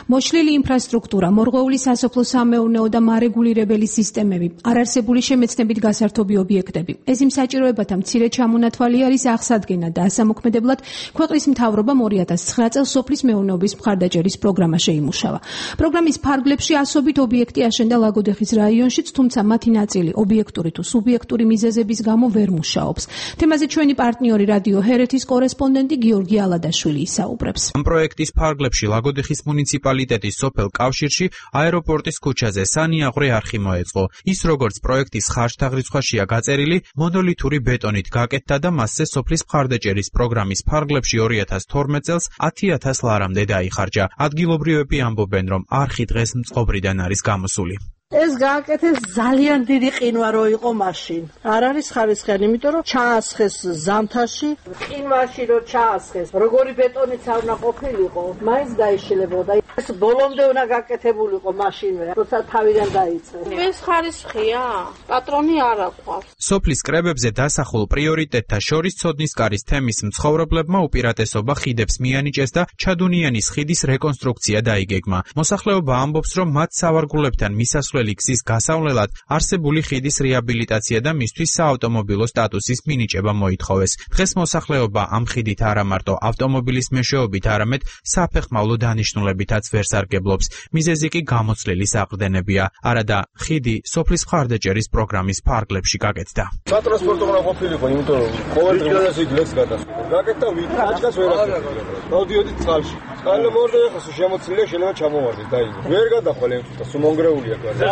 მოშლილი ინფრასტრუქტურა, მორღვეული სასოფლო-სამეურნეო და მარეგულირებელი სისტემები, არარსებული შემეცნებით გასართობი ობიექტები. ეს იმ საჭიროებათა მცირე ჩამონათვალი არის აღსადგენად და ასამოქმედებლად ქვეყნის მთავრობამ ორი ათას ცხრა წელს სოფლის მეურნეობის მხარდაჭერის პროგრამა შეიმუშავა. პროგრამის ფარგლებში ასობით ობიექტი აშენდა ლაგოდეხის რაიონშიც, თუმცა მათი ნაწილი ობიექტური თუ სუბიექტური მიზეზების გამო ვერ მუშაობს. თემაზე ჩვენი პარტნიორი რადიო ჰერეთის კორესპონდენტი გიორგი ალადაშვილი ისაუბრებს. ამ პროექტის ფარგლებში ლაგოდეხის მუნიციპალიტეტის სოფელ კავშირში აეროპორტის ქუჩაზე სანიაღვრე არხი მოეწყო. ის როგორც პროექტის ხარჯთაღრიცხვაშია გაწერილი, მონოლითური ბეტონით გაკეთდა და მასზე სოფლის მხარდაჭერის პროგრამის ფარგლებში ორი ათას თორმეტ წელს ათი ათას ლარამდე დაიხარჯა. ადგილობრივები ამბობენ, რომ არხი დღეს მწყობრიდან არის გამოსული. ეს გააკეთეს ძალიან დიდი ყინვა რო იყო მაშინ. არ არის ხარისხიანი, იმიტომ რომ ჩაასხეს ზამთარში, ყინვაში რო ჩაასხეს, როგორი ბეტონიც არ უნდა ყოფილიყო, მაინც დაიშილებოდა. ეს ბოლომდე უნდა გაკეთებულიყო მაშინვე, როცა თავიდან დაიწყეს. ეს ხარისხია? პატრონი არ აყვავს. სოფლის კრებებზე დასახულ პრიორიტეტთა შორის ცოდნისკარის თემის მცხოვრებლებმა უპირატესობა ხიდებს მიანიჭეს და ჩადუნიანის ხიდის რეკონსტრუქცია დაიგეგმა. მოსახლეობა ამბობს, რომ მათ სავარგულებთან მისასვლელი გზის გასავლელად არსებული ხიდის რეაბილიტაცია და მისთვის საავტომობილო სტატუსის მინიჭება მოითხოვეს. დღეს მოსახლეობა ამ ხიდით არა მარტო ავტომობილის მეშვეობით, არამედ საფეხმავლო დანიშნულებითაც ვერ სარგებლობს. მიზეზი კი გამოცლილი საყრდენებია. არადა ხიდი სოფლის მხარდაჭერის პროგრამის ფარგლებში გაკეთდა. სატრანსპორტო უნდა ყოფილიყო, იმიტომ რომ ყოველ დღეს იქ ლექს გადასვა. გაკეთდა ვით, აჭკას ვერ აკეთებდა. დავდიოდი წყალში. წყალი მორდა ეხა შემოცლილია, შეიძლება ჩამოვარდეს და იგი. ვერ გადახვალ ემთხვევა, სუმონგრეულია გაზა.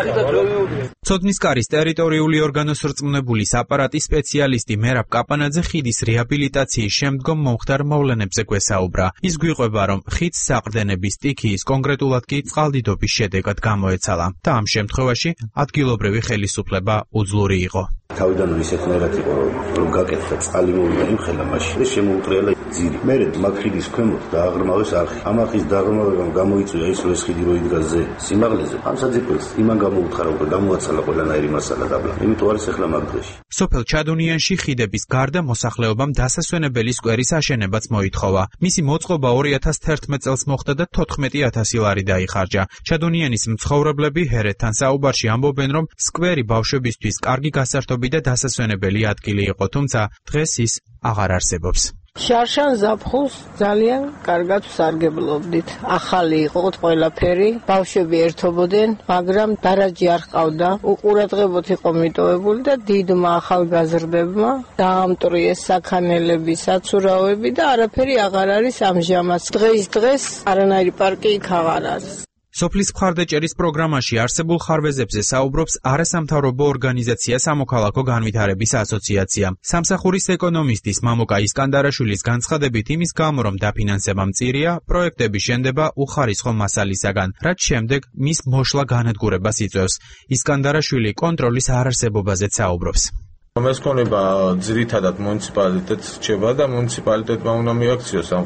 ცოდნისკარის ტერიტორიული ორგანოს რწმუნებულის აპარატის სპეციალისტი მერაბ კაპანაძე ხიდის რეაბილიტაციის შემდგომ მომხდარ მოვლენებზე გვესაუბრა. ის გვიყვება, რომ ხიდს საყრდენების სტიქიის, კონკრეტულად კი წყალდიდობის შედეგად გამოეცალა და ამ შემთხვევაში ადგილობრივი ხელისუფლება უძლური იყო. თავიდანვე ისეთნაირად იყო რომ გაკეთდა წყალი მოვიდა იმხელა მაშინ ეს შემოუტრიალა ძირი მერე მაგხიდის ქვემოთ დააღრმავეს არხი ამ არხის დაღრმავებამ გამოიწვია ის რომ ეს ხიდი რო იდგა ზე სიმაღლეზე ამ საძირკველს იმან გამოუთხარა უკვე გამოაცალა ყველანაირი მასალა დაბლა იმიტომ არის ახლა მაგ დღეში სოფელ ჩადუნიანში ხიდების გარდა მოსახლეობამ დასასვენებელი სკვერის აშენებაც მოითხოვა მისი მოწყობა ორი ათას თერთმეტ წელს მოხდა და თოთხმეტი ათასი ლარი დაიხარჯა ჩადუნიანის მცხოვრებლები ჰერეთთან საუბარში ამბობენ რომ სკვერი ბავშვებისთვის კარგი გასართობი და დასასვენებელი ადგილი იყო თუმცა დღეს ის აღარ არსებობს შარშან ზაფხულს ძალიან კარგად ვსარგებლობდით. ახალი იყო ყველაფერი, ბავშვები ერთობოდნენ, მაგრამ დარაჯი არ ჰყავდა. უყურადღებოდ იყო მიტოვებული და დიდმა ახალგაზრდებმა დაამტვრიეს საქანელები, საცურაოები და არაფერი აღარ არის ამჟამად. დღეს დღეს არანაირი პარკი იქ აღარ არის. სოფლის მხარდაჭერის პროგრამაში არსებულ ხარვეზებზე საუბრობს არასამთავრობო ორგანიზაცია სამოქალაქო განვითარების ასოციაცია. სამსახურის ეკონომისტის მამოკა ისკანდარაშვილის განცხადებით იმის გამო რომ დაფინანსება მწირია, პროექტები შენდება უხარისხო მასალისაგან, რაც შემდეგ მის მოშლა განადგურებას იწვევს. ისკანდარაშვილი კონტროლის არარსებობაზეც საუბრობს. ეს ქონება ძირითადად მუნიციპალიტეტს რჩება და მუნიციპალიტეტმა უნდა მიაქციოს ამ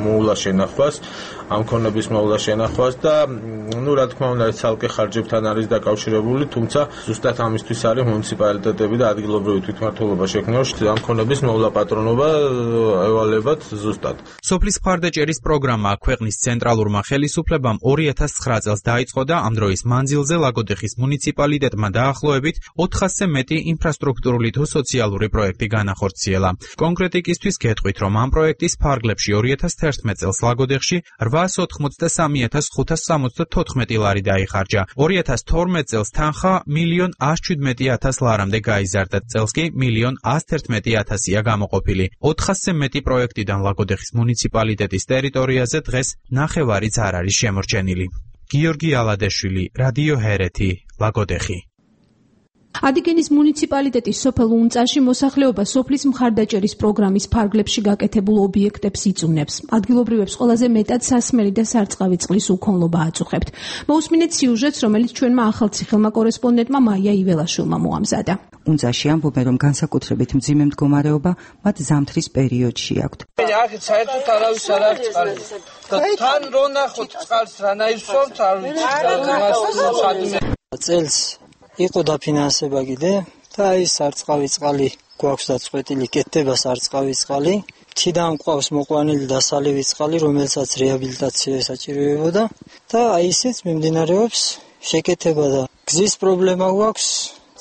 მოვლა შენახვას, ამ ქონების მოვლა შენახვას და ნუ რა თქმა უნდა ცალკე ხარჯებთან არის დაკავშირებული, თუმცა ზუსტად ამისთვის არის მუნიციპალიტეტები და ადგილობრივი თვითმმართველობა შექმნილ ამ ქონების მოვლა პატრონობა ევალებათ ზუსტად. სოფლის მხარდაჭერის პროგრამა ქვეყნის ცენტრალურმა ხელისუფლებამ ორი ათას ცხრა წელს დაიწყო და ამ დროის მანძილზე ლაგოდეხის მუნიციპალიტეტმა დაახლოებით ოთხასზე მეტი ინფრასტრუქტურული თუ სოციალური პროექტი განახორციელა. კონკრეტიკისთვის გეტყვით, რომ ამ პროექტის ფარგლებში ორი ათას თერთმეტ წელს ლაგოდეხში რვაას ოთხმოცდასამი ათას ხუთას სამოცდათოთხმეტი ლარი დაიხარჯა. ორი ათას თორმეტ წელს თანხა მილიონ ას შვიდმეტი ათას ლარამდე გაიზარდა, წელს კი მილიონ ას თერთმეტი ათასია გამოყოფილი. ოთხასზე მეტი პროექტიდან ლაგოდეხის მუნიციპალიტეტის ტერიტორიაზე დღეს ნახევარიც არ არის შემორჩენილი. გიორგი ალადეშვილი, რადიო ჰერეთი, ლაგოდეხი. ადიგენის მუნიციპალიტეტის სოფელ უნწაში მოსახლეობა სოფლის მხარდაჭერის პროგრამის ფარგლებში გაკეთებულ ობიექტებს იწუნებს. ადგილობრივებს ყველაზე მეტად სასმელი და სარწყავი წყლის უქონლობა აწუხებთ. მოусმინეთ სიუჟეტს, რომელიც ჩვენმა ახალციხელმა კორესპონდენტმა მაია იველაშვილმა მოამზადა. უნწაში ამბობენ, რომ განსაკუთრებით მძიმე მდგომარეობა მათ ზამთრის პერიოდში აქვთ. აქეთ საერთოდ არავის არ აქვს წყალი. თან რო ნახოთ წყალს რანაირ სორთ არ ვიცი. წელს იყო დაფინანსება კიდე და აი სარწყავი წყალი გვაქვს დაწყვეტილი, კეთდება სარწყავი წყალი. თიდან მყავს მოყვანილი დასალევი წყალი, რომელსაც რეაბილიტაცია საჭიროებოდა და აი ისიც მიმდინარეობს შეკეთება და გზის პრობლემა გვაქვს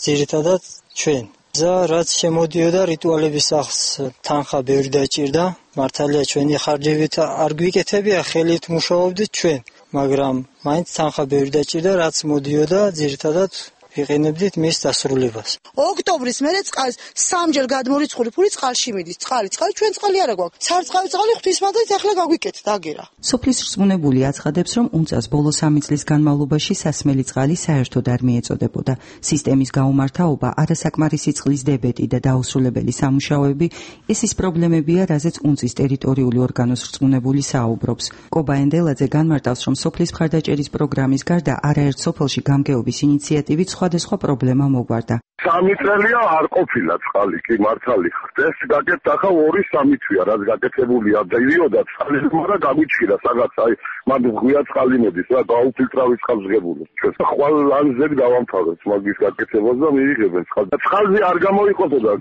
ძირითადად ჩვენ. გზა რაც შემოდიოდა რიტუალების სახლს თანხა ბევრი დაჭირდა, მართალია ჩვენი ხარჯებით არ გვიკეთებია, ხელით მუშაობდით ჩვენ, მაგრამ მაინც თანხა ბევრი დაჭირდა, რაც მოდიოდა ძირითადად ვიყენებდით მის დასრულებას. ოქტომბრის მერე წყალს სამჯერ გადმორიცხული ფული წყალში მიდის. წყალი, წყალი ჩვენ წყალი არა გვაქვს. სარწყავი წყალი ღვთისმადლით ახლა გაგვიკეთეთ, აგერა. სოფლის რწმუნებული აცხადებს, რომ უნწას ბოლო სამი წლის განმავლობაში სასმელი წყალი საერთოდ არ მიეწოდებოდა. სისტემის გაუმართავობა, არასაკმარისი წყლის დებეტი და დაუსრულებელი სამუშაოები ეს ის პრობლემებია, რაზეც უნწის ტერიტორიული ორგანოს რწმუნებული საუბრობს. კობა ენდელაძე განმარტავს, რომ სოფლის მხარდაჭერის პროგრამის გარდა არაერთ სოფელში გამგეობის ინიციატივით სხვადასხვა პრობლემა მოგვარდა. სამი წელია არ ყოფილა წყალი, კი მართალი ხართ. ეს გაკეთდა ხა ორი სამი თვია, რაც გაკეთებულია და იდიოდა წყალი, მაგრამ გამოჩქირა სადაც აი მანდ ღია წყალი მოდის რა, გაუფილტრავი წყალს ღებული. ჩვენ ხვალ ლანზები დავამთავრეთ მაგის გაკეთებას და მიიღებენ წყალს. წყალზე არ გამოიყოფოდა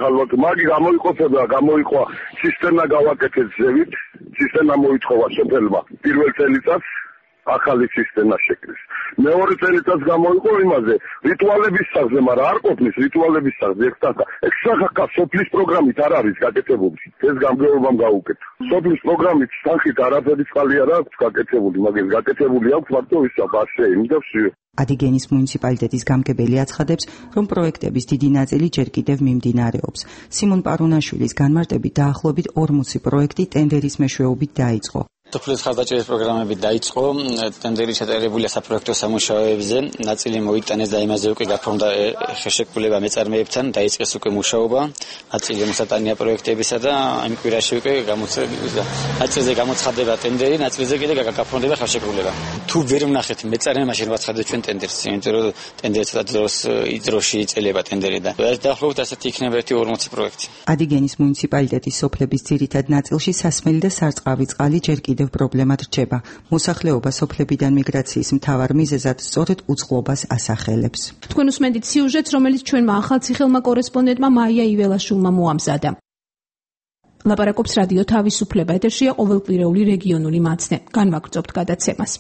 ხალხ, მაგი გამოიყოფოდა, გამოიყვა სისტემა გავაკეთეთ ზევით, სისტემა მოითხოვა სოფელმა პირველ წელიწადს ახალი სისტემა შეკრეს. მეორე წელიწადს გამოიყო იმაზე, რიტუალების სახლზე, მაგრამ არ ყოფნის რიტუალების სახლზე ერთად. ექსახაკა სოფლის პროგრამით არ არის გაკეთებული. ეს გამგეობამ გაუკეთა. სოფლის პროგრამით სახით არაფერი წყალი არ აქვს გაკეთებული, მაგრამ გაკეთებული აქვს მარტო ისა ბასეინი და ვსიო. ადიგენის მუნიციპალიტეტის გამგებელი აცხადებს, რომ პროექტების დიდი ნაწილი ჯერ კიდევ მიმდინარეობს. სიმონ პარუნაშვილის განმარტებით დაახლოებით ორმოცი პროექტი ტენდერის მეშვეობით დაიწყო. სოფლის ხარდაჭერის პროგრამები დაიწყო, ტენდერი ჩატარებულია საპროექტო სამუშაოებზე, ნაწილი მოიტანეს და იმაზე უკვე გაფორმდა ხელშეკრულება მეწარმეებთან, დაიწყეს უკვე მუშაობა, ნაწილი მოსატანია პროექტებისა და იმ კვირაში უკვე გამოცხადდება. ნაწილზე გამოცხადდება ტენდერი, ნაწილზე კიდე გაფორმდება ხელშეკრულება. თუ ვერ ვნახეთ მეწარმეებმა შევაცხადოთ ჩვენ ტენდერს, იმიტომ რომ ტენდერი ცოტა დროს დროში იწელება ტენდერი და დაახლოებით ასეთი იქნება ერთი ორმოცი პროექტი. ადიგენის მუნიციპალიტეტის სოფლების ძირითად ნაწილში სასმელი და სარწყავი წყალი ჯერ კიდევ პრობლემად რჩება. მოსახლეობა სოფლებიდან მიგრაციის მთავარ მიზეზად სწორედ უწყლობას ასახელებს. თქვენ უსმენთ სიუჟეტს, რომელიც ჩვენმა ახალციხელმა კორესპონდენტმა მაია იველაშვილმა მოამზადა. ლაპარაკობს რადიო თავისუფლება, ეთერშია ყოველკვირეული რეგიონული მაცნე. განვაგრძობთ გადაცემას.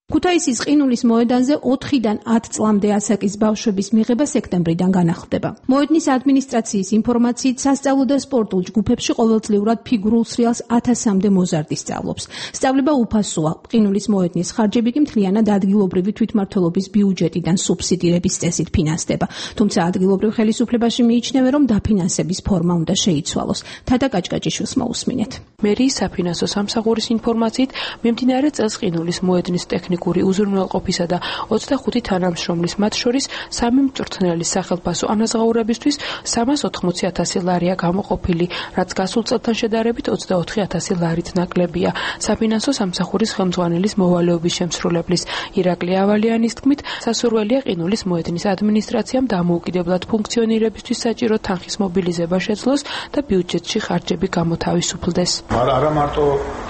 ქუთაისის ყინულის მოედანზე ოთხიდან ათ წლამდე ასაკის ბავშვების მიღება სექტემბრიდან განახლდება. მოედნის ადმინისტრაციის ინფორმაციით, სასწავლო და სპორტულ ჯგუფებში ყოველწლიურად ფიგურულ სრიალს ათასამდე მოზარდი სწავლობს. სწავლება უფასოა. ყინულის მოედნის ხარჯები კი მთლიანად ადგილობრივი თვითმმართველობის ბიუჯეტიდან სუბსიდირების წესით ფინანსდება. თუმცა ადგილობრივ ხელისუფლებაში მიიჩნევენ, რომ დაფინანსების ფორმა უნდა შეიცვალოს. თათა კაჭკაჭიშვილს მოусმინეთ. მერიის საფინანსო სამსახურის ინფორმაციით, მიმდინარე წელს ყინულის მოედნის ტექნიკური უზრუნველყოფისა და ოცდახუთი თანამშრომლის მათ შორის სამი მწვრთნელის სახელფასო ანაზღაურებისთვის სამას ოთხმოცი ათასი ლარია გამოყოფილი, რაც გასულ წელთან შედარებით ოცდაოთხი ათასი ლარით ნაკლებია. საფინანსო სამსახურის ხელმძღვანელის მოვალეობის შემსრულებლის ირაკლი ავალიანის თქმით, სასურველია ყინულის მოედნის ადმინისტრაციამ დამოუკიდებლად ფუნქციონირებისთვის საჭირო თანხის მობილიზება შეძლოს და ბიუჯეტში ხარჯები გამოთავისუფლდეს. არა მარტო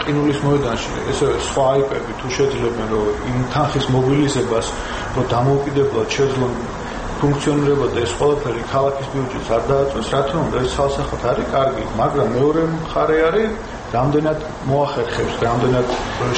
ყინულის მოედანში, ესე სხვა აიპები თუ შეძლებენ რომ იმ თანხის მობილიზებას რომ დამოუკიდებლად შეძლონ ფუნქციონირება და ეს ყველაფერი ქალაქის ბიუჯეტს არ დააწვეს, რა თქმა უნდა ეს ცალსახად არის კარგი, მაგრამ მეორე მხარე არის რამდენად მოახერხებს, რამდენად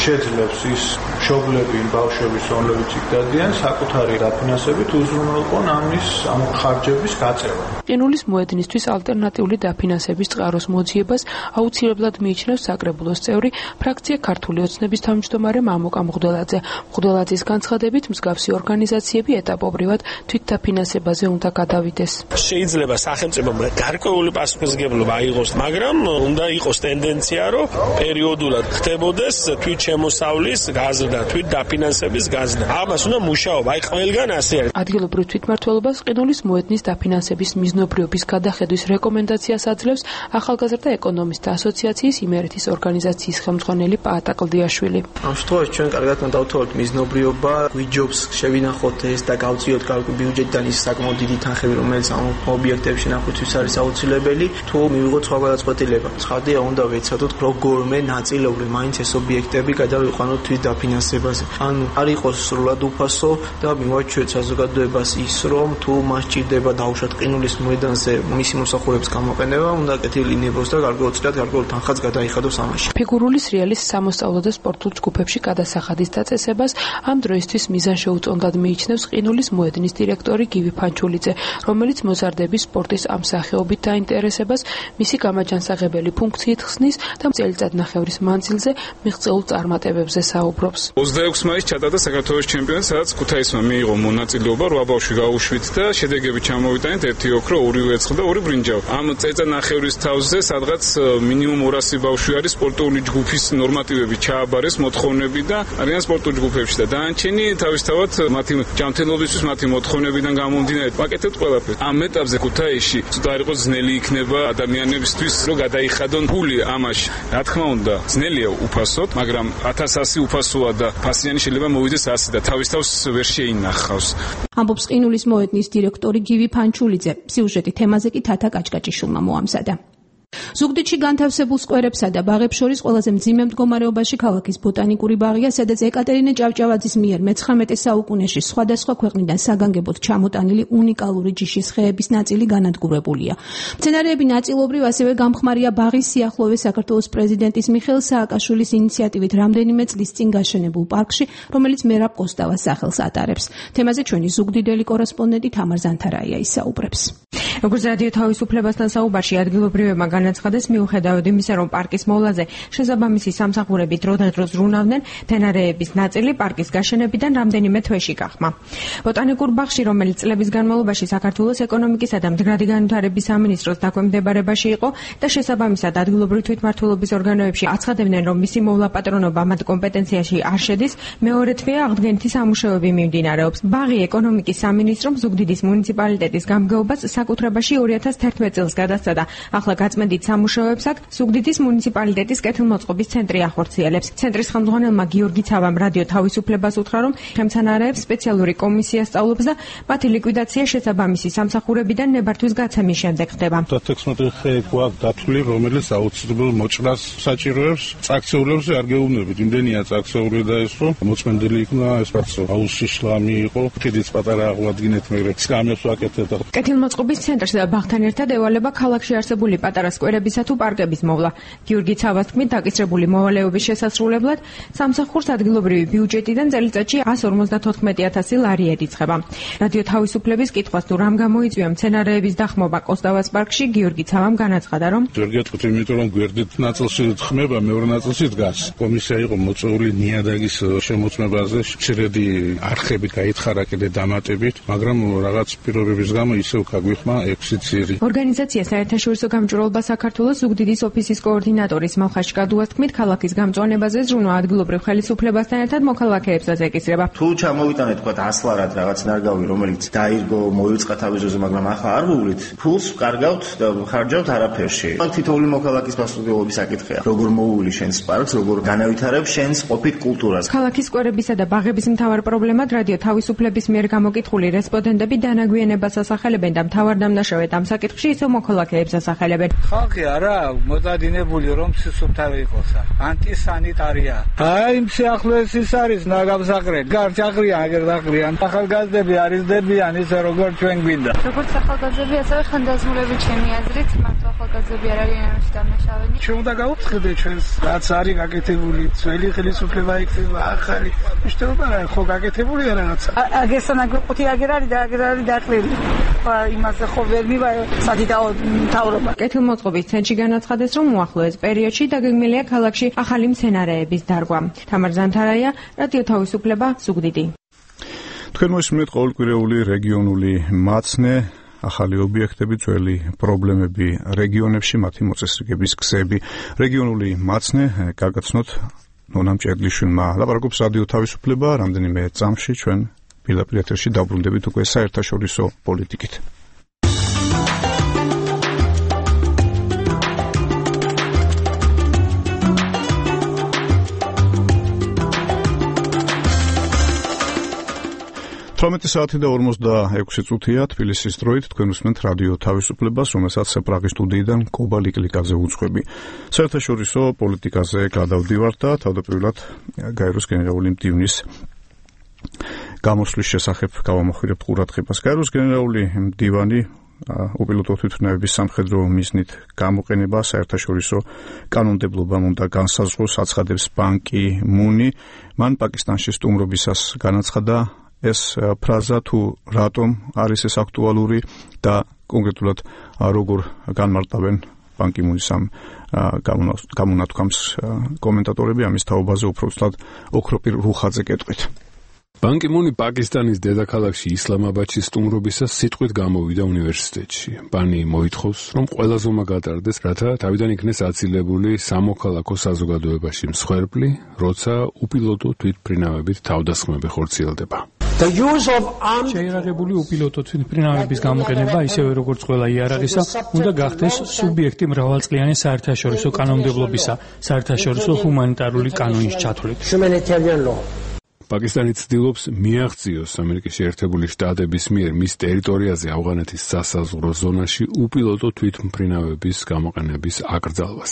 შეძლებს ის მშობლები, ბავშვების, რომლებიც იქ დადიან, საკუთარი დაფინანსებით უზრუნველყონ ამის ამ ხარჯების გაწევა. ყინულის მოედნისთვის ალტერნატიული დაფინანსების წყაროს მოძიებას აუცილებლად მიიჩნევს საკრებულოს წევრი, ფრაქცია ქართული ოცნების თავმჯდომარე მამუკა მღვდელაძე. მღვდელაძის განცხადებით, მსგავსი ორგანიზაციები ეტაპობრივად თვითდაფინანსებაზე უნდა გადავიდეს. შეიძლება სახელმწიფომ გარკვეული პასუხისმგებლობა აიღოს, მაგრამ უნდა იყოს ტენდენცია რომ პერიოდულად ხდებოდეს თვით შემოსავლის გაზრდა, თვით დაფინანსების გაზრდა. ამას უნდა მუშაობა, აი ყველგან ასე არის. ადგილობრივ თვითმმართველობას ყინულის მოედნის დაფინანსების მიზნობრიობის გადახედვის რეკომენდაციას აძლევს ახალგაზრდა ეკონომისტთა ასოციაციის იმერეთის ორგანიზაციის ხელმძღვანელი პაატა კლდიაშვილი. ამ შემთხვევაში ჩვენ კარგად უნდა დავთვალოთ მიზნობრიობა, გვიჯობს შევინახოთ ეს და გავწიოთ კარგი ბიუჯეტიდან ის საკმაოდ დიდი თანხები, რომელიც ამ ობიექტებში ნახვისთვის არის აუცილებელი, თუ მივიღოთ სხვა გადაწყვეტილება. ცხადია, უნდა ვეცადოთ როგორმე ნაწილობრივ მაინც ეს ობიექტები გადავიყვანოთ თვით დაფინანსებაზე. ან არ იყოს სრულად უფასო და მივაჩვენოთ საზოგადოებას ის, რომ თუ მას ჭირდება დაუშვათ ყინულის მოედანზე მისი მოსახურების გამოყენება, უნდა კეთილინებოს და გარკვეულწილად გარკვეულ თანხაც გადაიხადოს ამაში. ფიგურული სრიალის სამოსწავლო და სპორტულ ჯგუფებში გადასახადის დაწესებას ამ დროისთვის მიზანშეუწონდად მიიჩნევს ყინულის მოედნის დირექტორი გივი ფანჩულიძე, რომელიც მოზარდების სპორტის ამ სახეობით დაინტერესებას მისი გამაჯანსაღებელი ფუნქციით ხსნის და წელიწადნახევრის მანძილზე მიღწეულ წარმატებებზე საუბრობს. ოცდაექვსი მაისს ჩატარდა საქართველოს ჩემპიონატი, სადაც ქუთაისმა მიიღო მონაწილეობა რვა ბავშვი გაუშვით და შედეგები ჩამოვიტანეთ ერთი ოქრო, ორი ვერცხლი და ორი ბრინჯაო. ამ წელიწადნახევრის თავზე სადღაც მინიმუმ ორასი ბავშვი არის სპორტული ჯგუფის ნორმატივები ჩააბარეს, მოთხოვნები და არიან სპორტულ ჯგუფებში და დაანჩენი თავისთავად მათი ჯანმრთელობისთვის, მათი მოთხოვნებიდან გამომდინარე ვაკეთებთ ყველაფერს. ამ ეტაპზე ქუთაისში ცოტა არ იყოს ძნელი იქნება ადამიანებისთვის, რომ გადაიხადონ ფული ამაში. რა თქმა უნდა, ძნელია უფასოდ, მაგრამ ათას ასი უფასოა და ფასიანი შეიძლება მოვიდეს ასი და თავის თავს ვერ შეინახავს. ამბობს ყინულის მოედნის დირექტორი გივი ფანჩულიძე. სიუჟეტი თემაზე კი თათა კაჭკაჭიშვილმა მოამზადა. ზუგდიდში განთავსებულ სკვერებსა და ბაღებს შორის ყველაზე მძიმე მდგომარეობაში ქალაქის ბოტანიკური ბაღია, სადაც ეკატერინე ჭავჭავაძის მიერ მეცხრამეტე საუკუნეში სხვადასხვა ქვეყნიდან საგანგებოდ ჩამოტანილი უნიკალური ჯიშის ხეების ნაწილი განადგურებულია. მცენარეები ნაწილობრივ ასევე გამხმარია ბაღის სიახლოვეს საქართველოს პრეზიდენტის მიხეილ სააკაშვილის ინიციატივით რამდენიმე წლის წინ გაშენებულ პარკში, რომელიც მერაბ კოსტავას სახელს ატარებს. თემაზე ჩვენი ზუგდიდელი კორესპონდენტი თამარ ზანთარაია ისაუბრებს. როგორც რადიო თავისუფლებასთან საუბარში ადგილობრივებმა განაცხადა განაცხადეს, მიუხედავად იმისა, რომ პარკის მოვლაზე შესაბამისი სამსახურები დროდადრო ზრუნავდნენ, მცენარეების ნაწილი პარკის გაშენებიდან რამდენიმე თვეში გახმა. ბოტანიკურ ბაღში, რომელიც წლების განმავლობაში საქართველოს ეკონომიკისა და მდგრადი განვითარების სამინისტროს დაქვემდებარებაში იყო და შესაბამისად ადგილობრივი თვითმმართველობის ორგანოებში აცხადებდნენ, რომ მისი მოვლაპატრონობა მათ კომპეტენციაში არ შედის, მეორე თვეა აღდგენითი სამუშაოები მიმდინარეობს. ბაღი ეკონომიკის სამინისტრომ ზუგდიდის მუნიციპალიტეტის გამგეობას საკუთრებაში ორი ათას თერთმეტ წელს გადასცა. ახლა გაწმენდით სამუშაოებს აქ ზუგდიდის მუნიციპალიტეტის კეთილმოწყობის ცენტრი ახორციელებს. ცენტრის ხელმძღვანელმა გიორგი ცავამ რადიო თავისუფლებას უთხრა, რომ ხემცანარეებს სპეციალური კომისია სწავლობს და მათი ლიკვიდაცია შესაბამისი სამსახურებიდან ნებართვის გაცემის შემდეგ ხდება. თერთმეტ ხე გვაქვს დათვლილი, რომელიც აუცილებელ მოჭრას საჭიროებს. წაქცეულებზე არ გეუბნებით, იმდენია წაქცეული და ეს რომ მოწმენდილი იქნა, ეს პაცო აუზში შლამი იყო, კიდიც პატარა აღვადგინეთ, მაგრამ სკამებს ვაკეთეთ. კეთილმოწყობის ცენტრს და ბაღთან ერთად ევალება ქალაქში არსებული პატარა სკვერებისა თუ პარკების მოვლა. გიორგი ცავას თქმით, დაკისრებული მოვალეობის შესასრულებლად სამსახურს ადგილობრივი ბიუჯეტიდან წელიწადში εκατს ორმოცდათოთხმეტი ათასი ლარი ედიცხება. რადიო თავისუფლების კითხვას თუ რამ გამოიწვია მცენარეების დახმობა კოსტავას პარკში, გიორგი ცავამ განაცხადა, რომ ზოგადად თქვით, იმიტომ რომ გვერდით ნაწილში ხმება, მეორე ნაწილში დგას. კომისია იყო მოწვეული ნიადაგის შემოწმებაზე, შრედი არხები გაითხარა კიდე დამატებით, მაგრამ რაღაც პირობების გამო ისევ გაგვიხმა ექვსი ძირი. ორგანიზაცია საერთაშორისო გამჭვირვალობა საქართველოს ზუგდიდის ოფისის კოორდინატორის მალხაშ კადუას თქმით, ქალაქის გამწვანებაზე ზრუნვა ადგილობრივ ხელისუფლებასთან ერთად მოქალაქეებსაც ეკისრება. თუ ჩამოვიტანეთ თქვა ასლარად რაღაც ნარგავი, რომელიც დაირგო, მოიწყა თავიზოზე, მაგრამ ახლა არ ვუვლით, ფულს ვკარგავთ და ხარჯავთ არაფერში. თითოეული მოქალაქის პასუხისმგებლობის საკითხია. როგორ მოუვლი შენს პარკს, როგორ განავითარებ შენს ყოფით კულტურას. ქალაქის სკვერებისა და ბაღების მთავარ პრობლემად რადიო თავისუფლების მიერ გამოკითხული რესპონდენტები დანაგვიანებას ასახელებენ და მთავარ დამნაშავედ ამ საკითხში ისევ მოქალაქეებს ასახელებენ. ხალხი არა მოდადინებული რომ სისუფთავე იყოს. ანტისანიტარია. აი იმ სიახლოვეს ის არის ნაგავსაყრელი. გარჩაღრია აგერ დაღრიან. ახალგაზრდები არის დებიან ისე როგორ ჩვენ გვინდა. როგორც ახალგაზრდები, ასევე ხანდაზმულები ჩემი აზრით, მარტო ახალგაზრდები არ არიან ამაში დამნაშავენი. ჩვენ უნდა გავუცხადეთ ჩვენს რაც არის გაკეთებული, ძველი ხელისუფლება იქნება, ახალი. მიშტობა რა ხო გაკეთებულია რაღაცა. აგესა ნაგრყუთი აგერ არის და აგერ არის დაკლილი. იმაზე ხო ვერ მივაი სადიდაო მთავრობა. კეთილმოწყობის ცენტრში განაცხადეს, რომ უახლოეს პერიოდში დაგეგმილია ქალაქში ახალი მცენარეების დარგვა. თამარ ზანთარაია, რადიო თავისუფლება, ზუგდიდი. თქვენ მოსმენთ ყოველკვირეული რეგიონული მაცნე, ახალი ობიექტები, ძველი პრობლემები რეგიონებში, მათი მოწესრიგების გზები. რეგიონული მაცნე გაგაცნოთ ნონა მჭედლიშვილმა. ლაპარაკობს რადიო თავისუფლება, რამდენიმე წამში ჩვენ პირდაპირ ეთერში დაბრუნდებით უკვე საერთაშორისო პოლიტიკით. თვრამეტი საათი და ორმოცდაექვსი წუთია თბილისის დროით თქვენ უსმენთ რადიო თავისუფლებას, რომელსაც პრაღის სტუდიიდან კობა ლიკლიკაძე უძღვები. საერთაშორისო პოლიტიკაზე გადავდივართ და თავდაპირველად გაეროს გენერალური მდივნის გამოსვლის შესახებ გავამოხვილებთ ყურადღებას. გაეროს გენერალური მდივანი უპილოტო თვითმფრინავების სამხედრო მიზნით გამოყენება საერთაშორისო კანონმდებლობამ უნდა განსაზღვროს, აცხადებს ბან კი მუნი. მან პაკისტანში სტუმრობისას განაცხადა ეს ფრაზა თუ რატომ არის ეს აქტუალური და კონკრეტულად როგორ განმარტავენ ბან კი მუნის ამ გამონათქვამს კომენტატორები. ამის თაობაზე უფრო ვსწრად ოქროპირ რუხაძე კეთყვით. ბან კი მუნი პაკისტანის დედაქალაქში ისლამაბადში სტუმრობისას სიტყვით გამოვიდა უნივერსიტეტში. ბანი მოითხოვს, რომ ყველა ზომა გატარდეს, რათა თავიდან იქნეს აცილებული სამოქალაქო საზოგადოებაში მსხვერპლი, როცა უპილოტო თვითმფრინავებით თავდასხმები ხორციელდება. შეიარაღებული უპილოტო თვითმფრინავების გამოყენება, ისევე როგორც ყველა იარაღისა, უნდა გახდეს სუბიექტი მრავალწლიანი საერთაშორისო კანონმდებლობისა, საერთაშორისო ჰუმანიტარული კანონის ჩათვლით. პაკისტანი ცდილობს მიაღწიოს ამერიკის შეერთებული შტატების მიერ მის ტერიტორიაზე ავღანეთის სასაზღვრო ზონაში უპილოტო თვითმფრინავების გამოყენების აკრძალვას.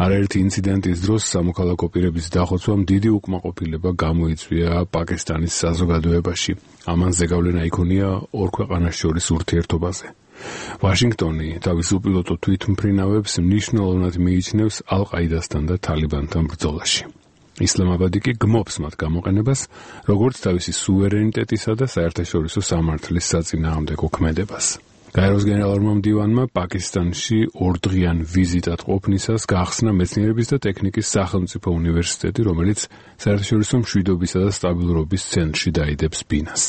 არაერთი ინციდენტის დროს სამოქალაქო პირების დახოცვამ დიდი უკმაყოფილება გამოიწვია პაკისტანის საზოგადოებაში. ამან ზეგავლენა იქონია ორ ქვეყანას შორის ურთიერთობაზე. ვაშინგტონი თავის უპილოტო თვითმფრინავებს მნიშვნელოვნად მიიჩნევს ალ-ყაიდასთან და თალიბანთან ბრძოლაში. ისლამაბადი კი გმობს მათ გამოყენებას, როგორც თავისი სუვერენიტეტისა და საერთაშორისო სამართლის საწინააღმდეგო ქმედებას. გაეროს გენერალურმა მდივანმა პაკისტანში ორდღიან ვიზიტად ყოფნისას გახსნა მეცნიერების და ტექნიკის სახელმწიფო უნივერსიტეტი, რომელიც საერთაშორისო მშვიდობისა და სტაბილურობის ცენტრში დაიდებს ბინას.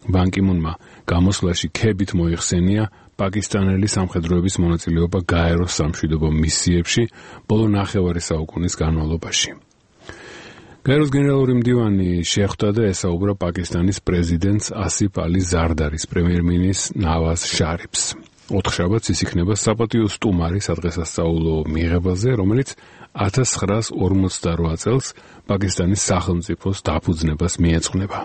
ბან კი მუნმა გამოსვლაში ქებით მოიხსენია პაკისტანელი სამხედროების მონაწილეობა გაეროს სამშვიდობო მისიებში ბოლო ნახევარი საუკუნის განმავლობაში. გაეროს გენერალური მდივანი შეხვდა და ესაუბრა პაკისტანის პრეზიდენტს ასიფ ალი ზარდარის, პრემიერ-მინისტრს ნავაზ შარიფს. ოთხშაბათს ის იქნება საპატიო სტუმარი სადღესასწაულო მიღებაზე, რომელიც ათას ცხრაას ორმოცდარვა წელს პაკისტანის სახელმწიფოს დაფუძნებას მიეძღვნება.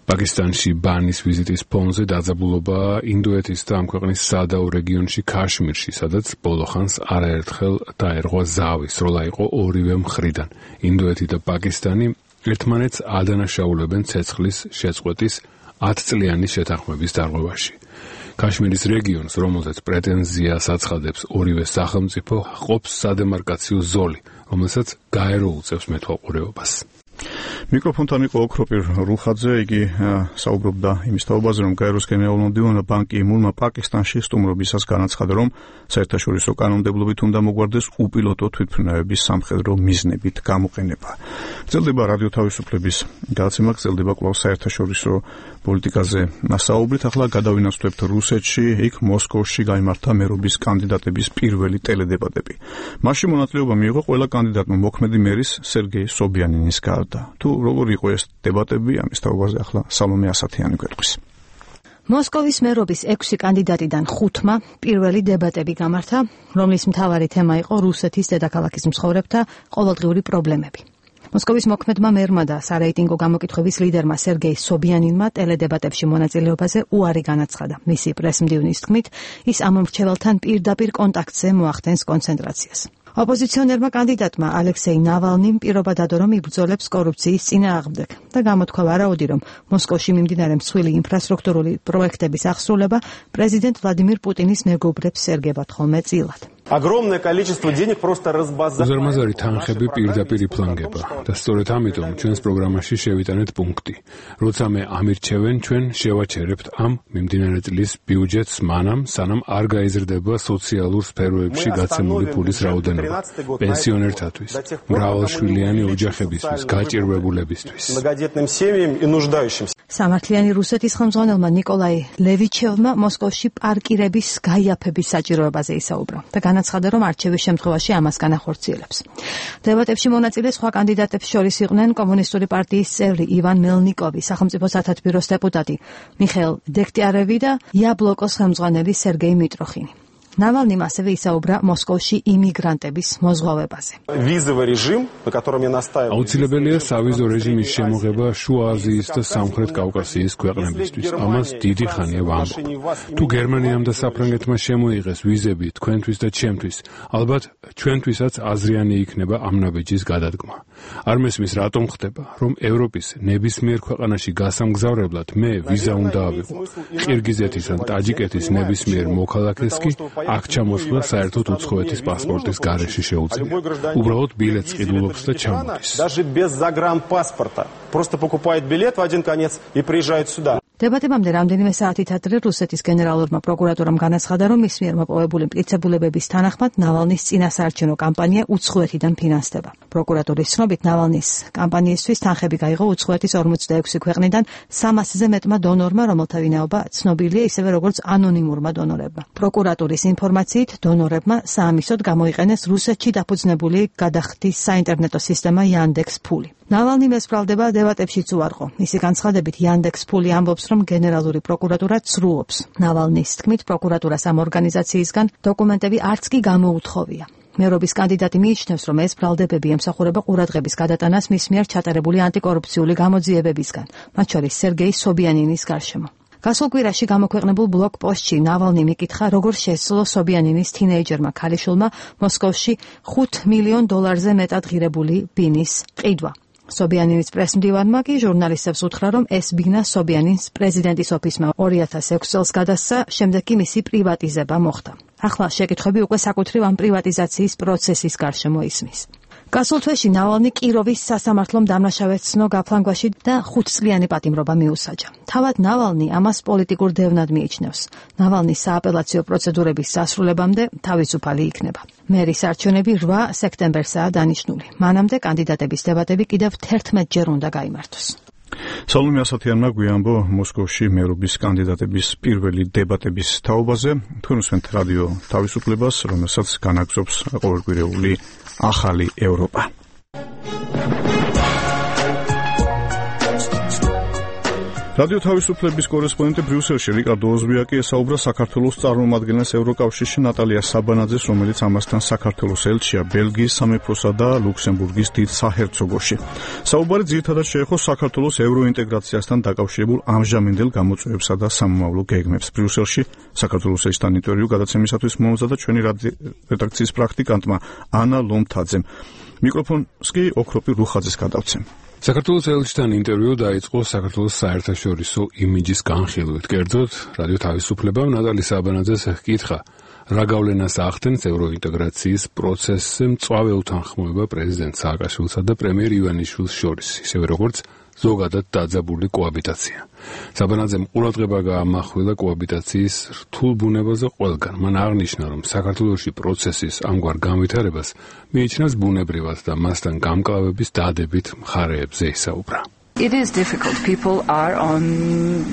პაკისტანში ბანის ვიზიტის ფონზე დაძაბულობა ინდოეთის და ამ ქვეყნის სადაო რეგიონში ქაშმირში, სადაც ბოლოხანს არაერთხელ დაერღვა ზავი, სროლა იყო ორივე მხრიდან. ინდოეთი და პაკისტანი ერთმანეთს ადანაშაულებენ ცეცხლის შეწყვეტის ათწლიანი შეთანხმების დარღვევაში. ქაშმირის რეგიონს, რომელზეც პრეტენზიას აცხადებს ორივე სახელმწიფო, ყოფს სადემარკაციო ზოლი, რომელსაც გაერო უწევს მეთვალყურეობას. მიკროფონთან იყო ოქროპირ რუხაძე, იგი საუბრობდა იმის თაობაზე, რომ გაეროს გენერალურმა მდივანმა ბან კი მუნმა პაკისტანში სტუმრობისას განაცხადა, რომ საერთაშორისო კანონმდებლობით უნდა მოგვარდეს უპილოტო თვითმფრინავების სამხედრო მიზნებით გამოყენება. გრძელდება რადიო თავისუფლების გადაცემა, გრძელდება კვლავ საერთაშორისო პოლიტიკაზე საუბრით. ახლა გადავინაცვლებთ რუსეთში, იქ მოსკოვში გაიმართა მერობის კანდიდატების პირველი ტელედებატები. მასში მონაწილეობა მიიღო ყველა კანდიდატმა მოქმედი მერის სერგეი სობიანინის გარდა. თუ როგორი იყო ეს დებატები, ამის თაობაზე ახლა სალომე ასათიანი გვეტყვის. მოსკოვის მერობის ექვსი კანდიდატიდან ხუთმა პირველი დებატები გამართა, რომლის მთავარი თემა იყო რუსეთის დედაქალაქის მცხოვრებთა ყოველდღიური პრობლემები. მოსკოვის მოქმედმა მერმა და სარეიტინგო გამოკითხვების ლიდერმა სერგეი სობიანინმა ტელედებატებში მონაწილეობაზე უარი განაცხადა. მისი პრესმდივნის თქმით, ის ამ მრჩეველთან პირდაპირ კონტაქტზე მოახდენს კონცენტრაციას. ოპოზიციონერმა კანდიდატმა ალექსეი ნავალნიმ პირობა დადო, რომ იბრძოლებს კორუფციის წინააღმდეგ და გამოთქვა ვარაუდი, რომ მოსკოვში მიმდინარე მსხვილი ინფრასტრუქტურული პროექტების აღსრულება პრეზიდენტ ვლადიმირ პუტინის მეგობრებს ერგებათ ხოლმე წილად. უზარმაზარი თანხები პირდაპირ იფლანგება და სწორედ ამიტომ ჩვენს პროგრამაში შევიტანეთ პუნქტი. როცა მე ამირჩევენ, ჩვენ შევაჩერებთ ამ მიმდინარე წლის ბიუჯეტს მანამ, სანამ არ გაიზრდება სოციალურ სფეროებში გაცემული ფულის რაოდენობა, პენსიონერთათვის, მრავალშვილიანი ოჯახებისთვის, გაჭირვებულებისთვის. სამართლიანი რუსეთის ხელმძღვანელმა ნიკოლაი ლევიჩევმა მოსკოვში პარკირების გაიაფების საჭიროებაზე ისაუბრა და განაცხადა, რომ არჩევის შემთხვევაში ამას განახორციელებს. დებატებში მონაწილე სხვა კანდიდატებს შორის იყვნენ კომუნისტური პარტიის წევრი ივან მელნიკოვი, სახელმწიფო სათათბიროს დეპუტატი მიხეილ დექტიარევი და იაბლოკოს ხელმძღვანელი სერგეი მიტროხინი. ნავალნიმ ასევე ისაუბრა მოსკოვში იმიგრანტების მოზღვავებაზე. აუცილებელია სავიზო რეჟიმის შემოღება შუა აზიის და სამხრეთ კავკასიის ქვეყნებისთვის. ამას დიდი ხანია ვამბობ. თუ გერმანიამ და საფრანგეთმა შემოიღეს ვიზები თქვენთვის და ჩემთვის, ალბათ ჩვენთვისაც აზრიანი იქნება ამ ნაბიჯის გადადგმა. არ მესმის რატომ ხდება, რომ ევროპის ნებისმიერ ქვეყანაში გასამგზავრებლად მე ვიზა უნდა ავიღო. ყირგიზეთის ან ტაჯიკეთის ნებისმიერ მოქალაქეს კი აქ ჩამოსვლა საერთოდ უცხოეთის პასპორტის გარეშე შეუძლია. უბრალოდ ბილეთს ყიდულობს და ჩამოდის. დებატებამდე რამდენიმე საათით ადრე რუსეთის გენერალურმა პროკურატურამ განაცხადა, რომ მის მიერ მოპოვებული მტკიცებულებების თანახმად ნავალნის წინასაარჩევნო კამპანია უცხოეთიდან ფინანსდება. პროკურატურის ცნობით ნავალნის კამპანიისთვის თანხები გაიღო უცხოეთის ორმოცდაექვსი ქვეყნიდან სამასზე მეტმა დონორმა, რომელთა ვინაობა ცნობილია ისევე როგორც ანონიმურმა დონორებმა. პროკურატურის ინფორმაციით დონორებმა საამისოდ გამოიყენეს რუსეთში დაფუძნებული გადახდის საინტერნეტო სისტემა Yandex ფული. ნავალნიმ ესპრალდება დებატებშიც უარყო. მისი განცხადებით Yandex ფული ამბობს, რომ გენერალური პროკურატურა ცრუობს. ნავალნის თქმით, პროკურატურას ამ ორგანიზაციისგან დოკუმენტები არც კი გამოუთხოვია. მერობის კანდიდატი მიიჩნევს, რომ ეს ბრალდებები ემსახურება ყურადღების გადატანას მის მიერ ჩატარებული ანტიკორუფციული გამოძიებებისგან, მათ შორის სერგეი სობიანინის გარშემო. გასულ კვირაში გამოქვეყნებულ ბლოგ პოსტში ნავალნი მიკითხა, როგორ შესძლო სობიანინის თინეიჯერმა ქალიშვილმა მოსკოვში ხუთ მილიონ დოლარზე მეტად ღირებული ბინის ყიდვა. სობიანინის პრესმდივანმა კი ჟურნალისტებს უთხრა, რომ ეს ბინა სობიანინს პრეზიდენტის ოფისმა ორი ათას ექვსი წელს გადასცა, შემდეგ კი მისი პრივატიზება მოხდა. ახლა შეკითხვები უკვე საკუთრივ ამ პრივატიზაციის პროცესის გარშემო ისმის. გასულ თვეში ნავალნი კიროვის სასამართლომ დამნაშავედ ცნო გაფლანგვაში და ხუთწლიანი პატიმრობა მიუსაჯა. თავად ნავალნი ამას პოლიტიკურ დევნად მიიჩნევს. ნავალნის სააპელაციო პროცედურების დასრულებამდე თავისუფალი იქნება. მერის არჩევნები რვა სექტემბერსაა დანიშნული. მანამდე კანდიდატების დებატები კიდევ თერთმეტჯერ უნდა გაიმართოს. სალომე ასათიანმა გვიანბო მოსკოვში მერობის კანდიდატების პირველი დებატების თაობაზე. თქვენ უსმენთ რადიო თავისუფლებას, რომელსაც განაგზობს ყოველკვირეული ახალი ევროპა. რადიო თავისუფლების კორესპონდენტი ბრიუსელში რიკარდო ოზბიაკი ესაუბრა საქართველოს წარმომადგენელს ევროკავშირში ნატალია საბანაძეს, რომელიც ამასთან საქართველოს ელჩია ბელგიის სამეფოსა და ლუქსემბურგის დიდ საჰერცოგოში. საუბარი ძირითადად შეეხო საქართველოს ევროინტეგრაციასთან დაკავშირებულ ამჟამინდელ გამოწვევებსა და სამომავლო გეგმებს. ბრიუსელში საქართველოს ესთან ინტერვიუ გადაცემისათვის მომზადდა ჩვენი რედაქციის პრაქტიკანტმა ანა ლომთაძემ. მიკროფონს კი ოქროპი რუხაძეს გადავცემ. საქართველოს ელჩთან ინტერვიუ დაიწყო საქართველოს საერთაშორისო იმიჯის განხილვით. კერძოდ, რადიო თავისუფლებამ ნატალი საბანაძეს ჰკითხა, რა გავლენას ახდენს ევროინტეგრაციის პროცესზე მწვავე უთანხმოება პრეზიდენტ სააკაშვილსა და პრემიერ ივანიშვილს შორის, ისევე როგორც ზოგადად დაძაბული კოაბიტაცია. საბანაძემ ყურადღება გაამახვილა კოაბიტაციის რთულ ბუნებაზე ყველგან. მან აღნიშნა, რომ საქართველოში პროცესის ამგვარ განვითარებას მიიჩნევს ბუნებრივად და მასთან გამკლავების დადებით მხარეებზე ისაუბრა. It is difficult. People are on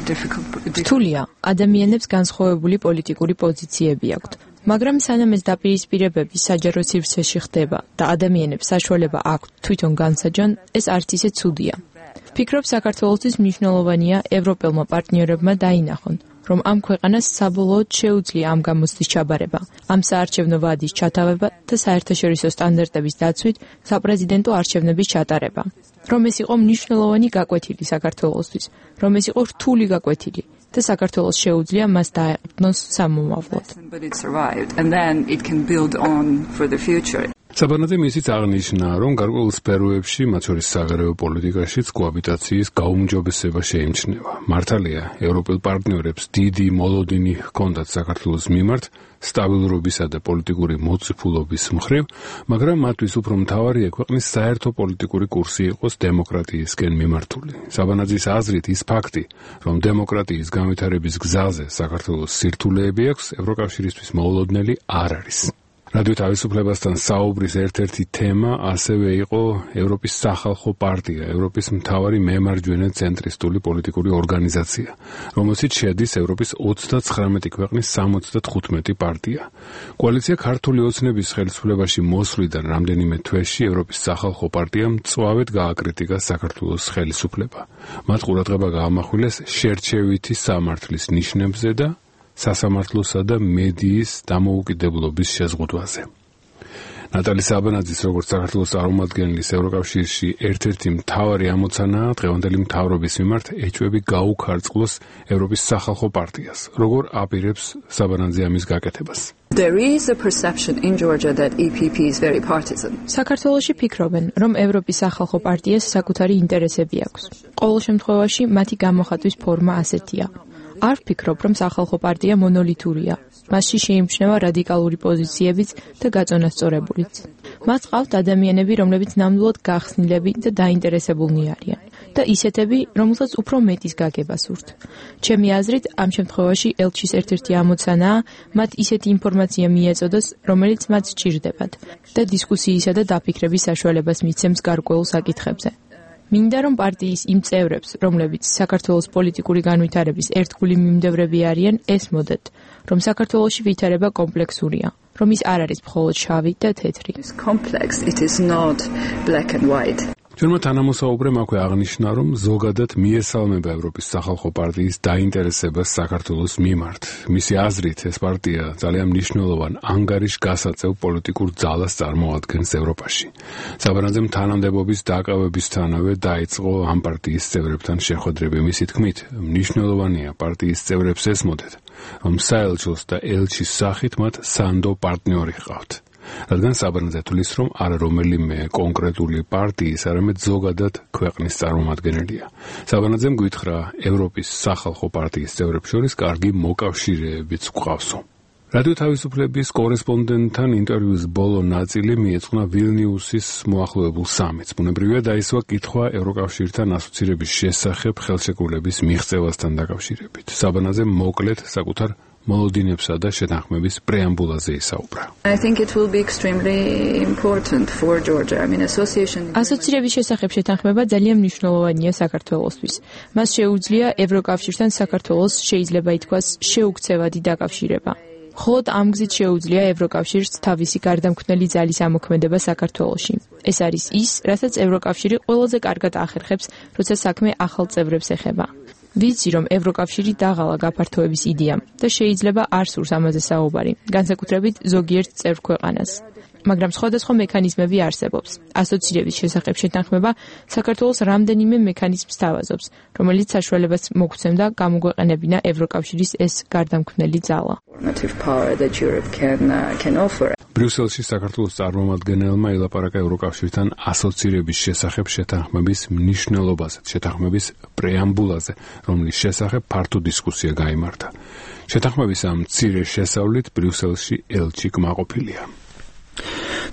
difficult. რთულია. ადამიანებს განსხვავებული პოლიტიკური პოზიციები აქვთ. მაგრამ სანამ ეს დაპირისპირებები საჯარო სივრცეში ხდება და ადამიანებს საშუალება აქვთ თვითონ განსაჯონ, ეს არც ისე ცუდია. ფიქრობ, საქართველოსთვის მნიშვნელოვანია ევროპელმა პარტნიორებმა დაინახონ, რომ ამ ქვეყანას საბოლოოდ შეუძლია ამ გამოცდის ჩაბარება, ამ საარჩევნო ვადის ჩათავება და საერთაშორისო სტანდარტების დაცვით საპრეზიდენტო არჩევნების ჩატარება. რომ ეს იყო მნიშვნელოვანი გაკვეთილი საქართველოსთვის, რომ ეს იყო რთული გაკვეთილი და საქართველოს შეუძლია მას დაეყრდნოს სამომავლოდ. საბანაძე მისიც აღნიშნა, რომ გარკვეულ სფეროებში, მათ შორის საგარეო პოლიტიკაშიც კოაბიტაციის გაუმჯობესება შეიმჩნევა. მართალია, ევროპელ პარტნიორებს დიდი მოლოდინი ჰქონდათ საქართველოს მიმართ სტაბილურობისა და პოლიტიკური მოწიფულობის მხრივ, მაგრამ მათთვის უფრო მთავარია ქვეყნის საერთო პოლიტიკური კურსი იყოს დემოკრატიისკენ მიმართული. საბანაძის აზრით ის ფაქტი, რომ დემოკრატიის განვითარების გზაზე საქართველოს სირთულეები აქვს, ევროკავშირისთვის მოულოდნელი არ არის. რადიო თავისუფლებასთან საუბრის ერთ-ერთი თემა ასევე იყო ევროპის სახალხო პარტია, ევროპის მთავარი მემარჯვენე ცენტრისტული პოლიტიკური ორგანიზაცია, რომელშიც შედის ევროპის ოცდაცხრამეტი ქვეყნის სამოცდათხუთმეტი პარტია. კოალიცია ქართული ოცნების ხელისუფლებაში მოსვლიდან რამდენიმე თვეში ევროპის სახალხო პარტიამ მწვავედ გააკრიტიკა საქართველოს ხელისუფლება. მათ ყურადღება გაამახვილეს შერჩევითი სამართლის ნიშნებზე და სასამართლოსა და მედიის დამოუკიდებლობის შეზღუდვაზე. ნატალი საბანაძის როგორც საქართველოს წარმომადგენლის ევროკავშირში ერთ-ერთი მთავარი ამოცანაა დღევანდელი მთავრობის მიმართ ეჭვები გაუქარწყლოს ევროპის სახალხო პარტიას. როგორ აპირებს საბანაძე ამის გაკეთებას? There is a perception in Georgia that E P P is very partisan. საქართველოში ფიქრობენ, რომ ევროპის სახალხო პარტიას საკუთარი ინტერესები აქვს. ყოველ შემთხვევაში მათი გამოხატვის ფორმა ასეთია. არ ვფიქრობ, რომ სახალხო პარტია მონოლითურია. მასში შეიმჩნევა რადიკალური პოზიციებიც და გაწონასწორებულიც. მას ყავთ ადამიანები, რომლებიც ნამდვილად გახსნილები და დაინტერესებულნი არიან და ისეთები, რომელსაც უფრო მეტის გაგება სურთ. ჩემი აზრით, ამ შემთხვევაში ელჩის ერთ-ერთი ამოცანაა მათ ისეთი ინფორმაცია მიეწოდოს, რომელიც მათ სჭირდებათ და დისკუსიისა და დაფიქრების საშუალებას მიცემს გარკვეულ საკითხებზე. მინდა რომ პარტიის იმ წევრებს, რომლებიც საქართველოს პოლიტიკური განვითარების ერთგული მიმდევრები არიან, ესმოდეთ, რომ საქართველოში ვითარება კომპლექსურია, რომ ის არ არის მხოლოდ შავი და თეთრი. ჩვენმა თანამოსაუბრემ აქვე აღნიშნა, რომ ზოგადად მიესალმება ევროპის სახალხო პარტიის დაინტერესებას საქართველოს მიმართ. მისი აზრით, ეს პარტია ძალიან მნიშვნელოვან ანგარიშგასაწევ პოლიტიკურ ძალას წარმოადგენს ევროპაში. საბანაძემ თანამდებობის დაკავებისთანავე დაიწყო ამ პარტიის წევრებთან შეხვედრები. მისი თქმით, მნიშვნელოვანია პარტიის წევრებს ესმოდეთ, რომ საელჩოს და ელჩის სახით მათ სანდო პარტნიორი ჰყავთ. რადგან საბანაძე თვლის, რომ არა რომელიმე კონკრეტული პარტიის, არამედ ზოგადად ქვეყნის წარმომადგენელია. საბანაძემ გითხრა, ევროპის სახალხო პარტიის წევრებს შორის კარგი მოკავშირეებიც გვყავსო. რადიო თავისუფლების კორესპონდენტთან ინტერვიუს ბოლო ნაწილი მიეძღვნა ვილნიუსის მოახლოებულ სამიტს. ბუნებრივია დაისვა კითხვა ევროკავშირთან ასოცირების შესახებ ხელშეკრულების მიღწევასთან დაკავშირებით. საბანაძე მოკლედ საკუთარ მოლოდინებსა და შეთანხმების პრეამბულაზე ისაუბრა. I think it will be extremely important for Georgia. I mean association ასოცირების შესახებ შეთანხმება ძალიან მნიშვნელოვანია საქართველოსთვის. მას შეუძლია ევროკავშირთან საქართველოს შეიძლება ითქვას შეუქცევადი დაკავშირება. მხოლოდ ამ გზით შეუძლია ევროკავშირს თავისი გარდამქმნელი ძალის ამოქმედება საქართველოში. ეს არის ის, რასაც ევროკავშირი ყველაზე კარგად ახერხებს, როცა საქმე ახალ წევრებს ეხება. ვიცი, რომ ევროკავშირი დაღალა გაფართოების იდეამ და შეიძლება არ სურს ამაზე საუბარი, განსაკუთრებით ზოგიერთ წევრ ქვეყანას. მაგრამ სხვადასხვა მექანიზმები არსებობს. ასოცირების შესახებ შეთანხმება საქართველოს რამდენიმე მექანიზმს თავაზობს, რომელიც საშუალებას მოგცემდა გამოგვეყენებინა ევროკავშირის ეს გარდამქმნელი ძალა. ბრიუსელში საქართველოს წარმომადგენელმა ელაპარაკა ევროკავშირთან ასოცირების შესახებ შეთანხმების მნიშვნელობაზე, შეთანხმების პრეამბულაზე, რომლის შესახებ ფართო დისკუსია გაიმართა. შეთანხმების ამ მცირე შესავლით ბრიუსელში ელჩი კმაყოფილია.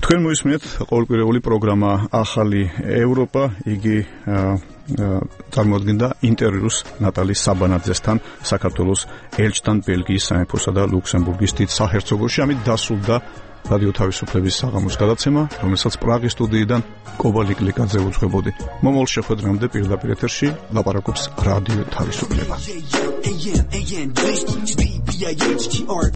თქვენ მოისმენთ ყოველკვირეული პროგრამა ახალი ევროპა, იგი წარმოადგენდა ინტერვიუს ნატალი საბანაძესთან, საქართველოს ელჩთან ბელგიის სამეფოსა და ლუქსემბურგის დიდ საჰერცოგოში. ამით დასრულდა რადიო თავისუფლების საღამოს გადაცემა, რომელსაც პრაღის სტუდიიდან კობალიკ ლიკაძე უძღვებოდი. მომავალ შეხვედრამდე პირდაპირ ეთერში ლაპარაკობს რადიო თავისუფლება.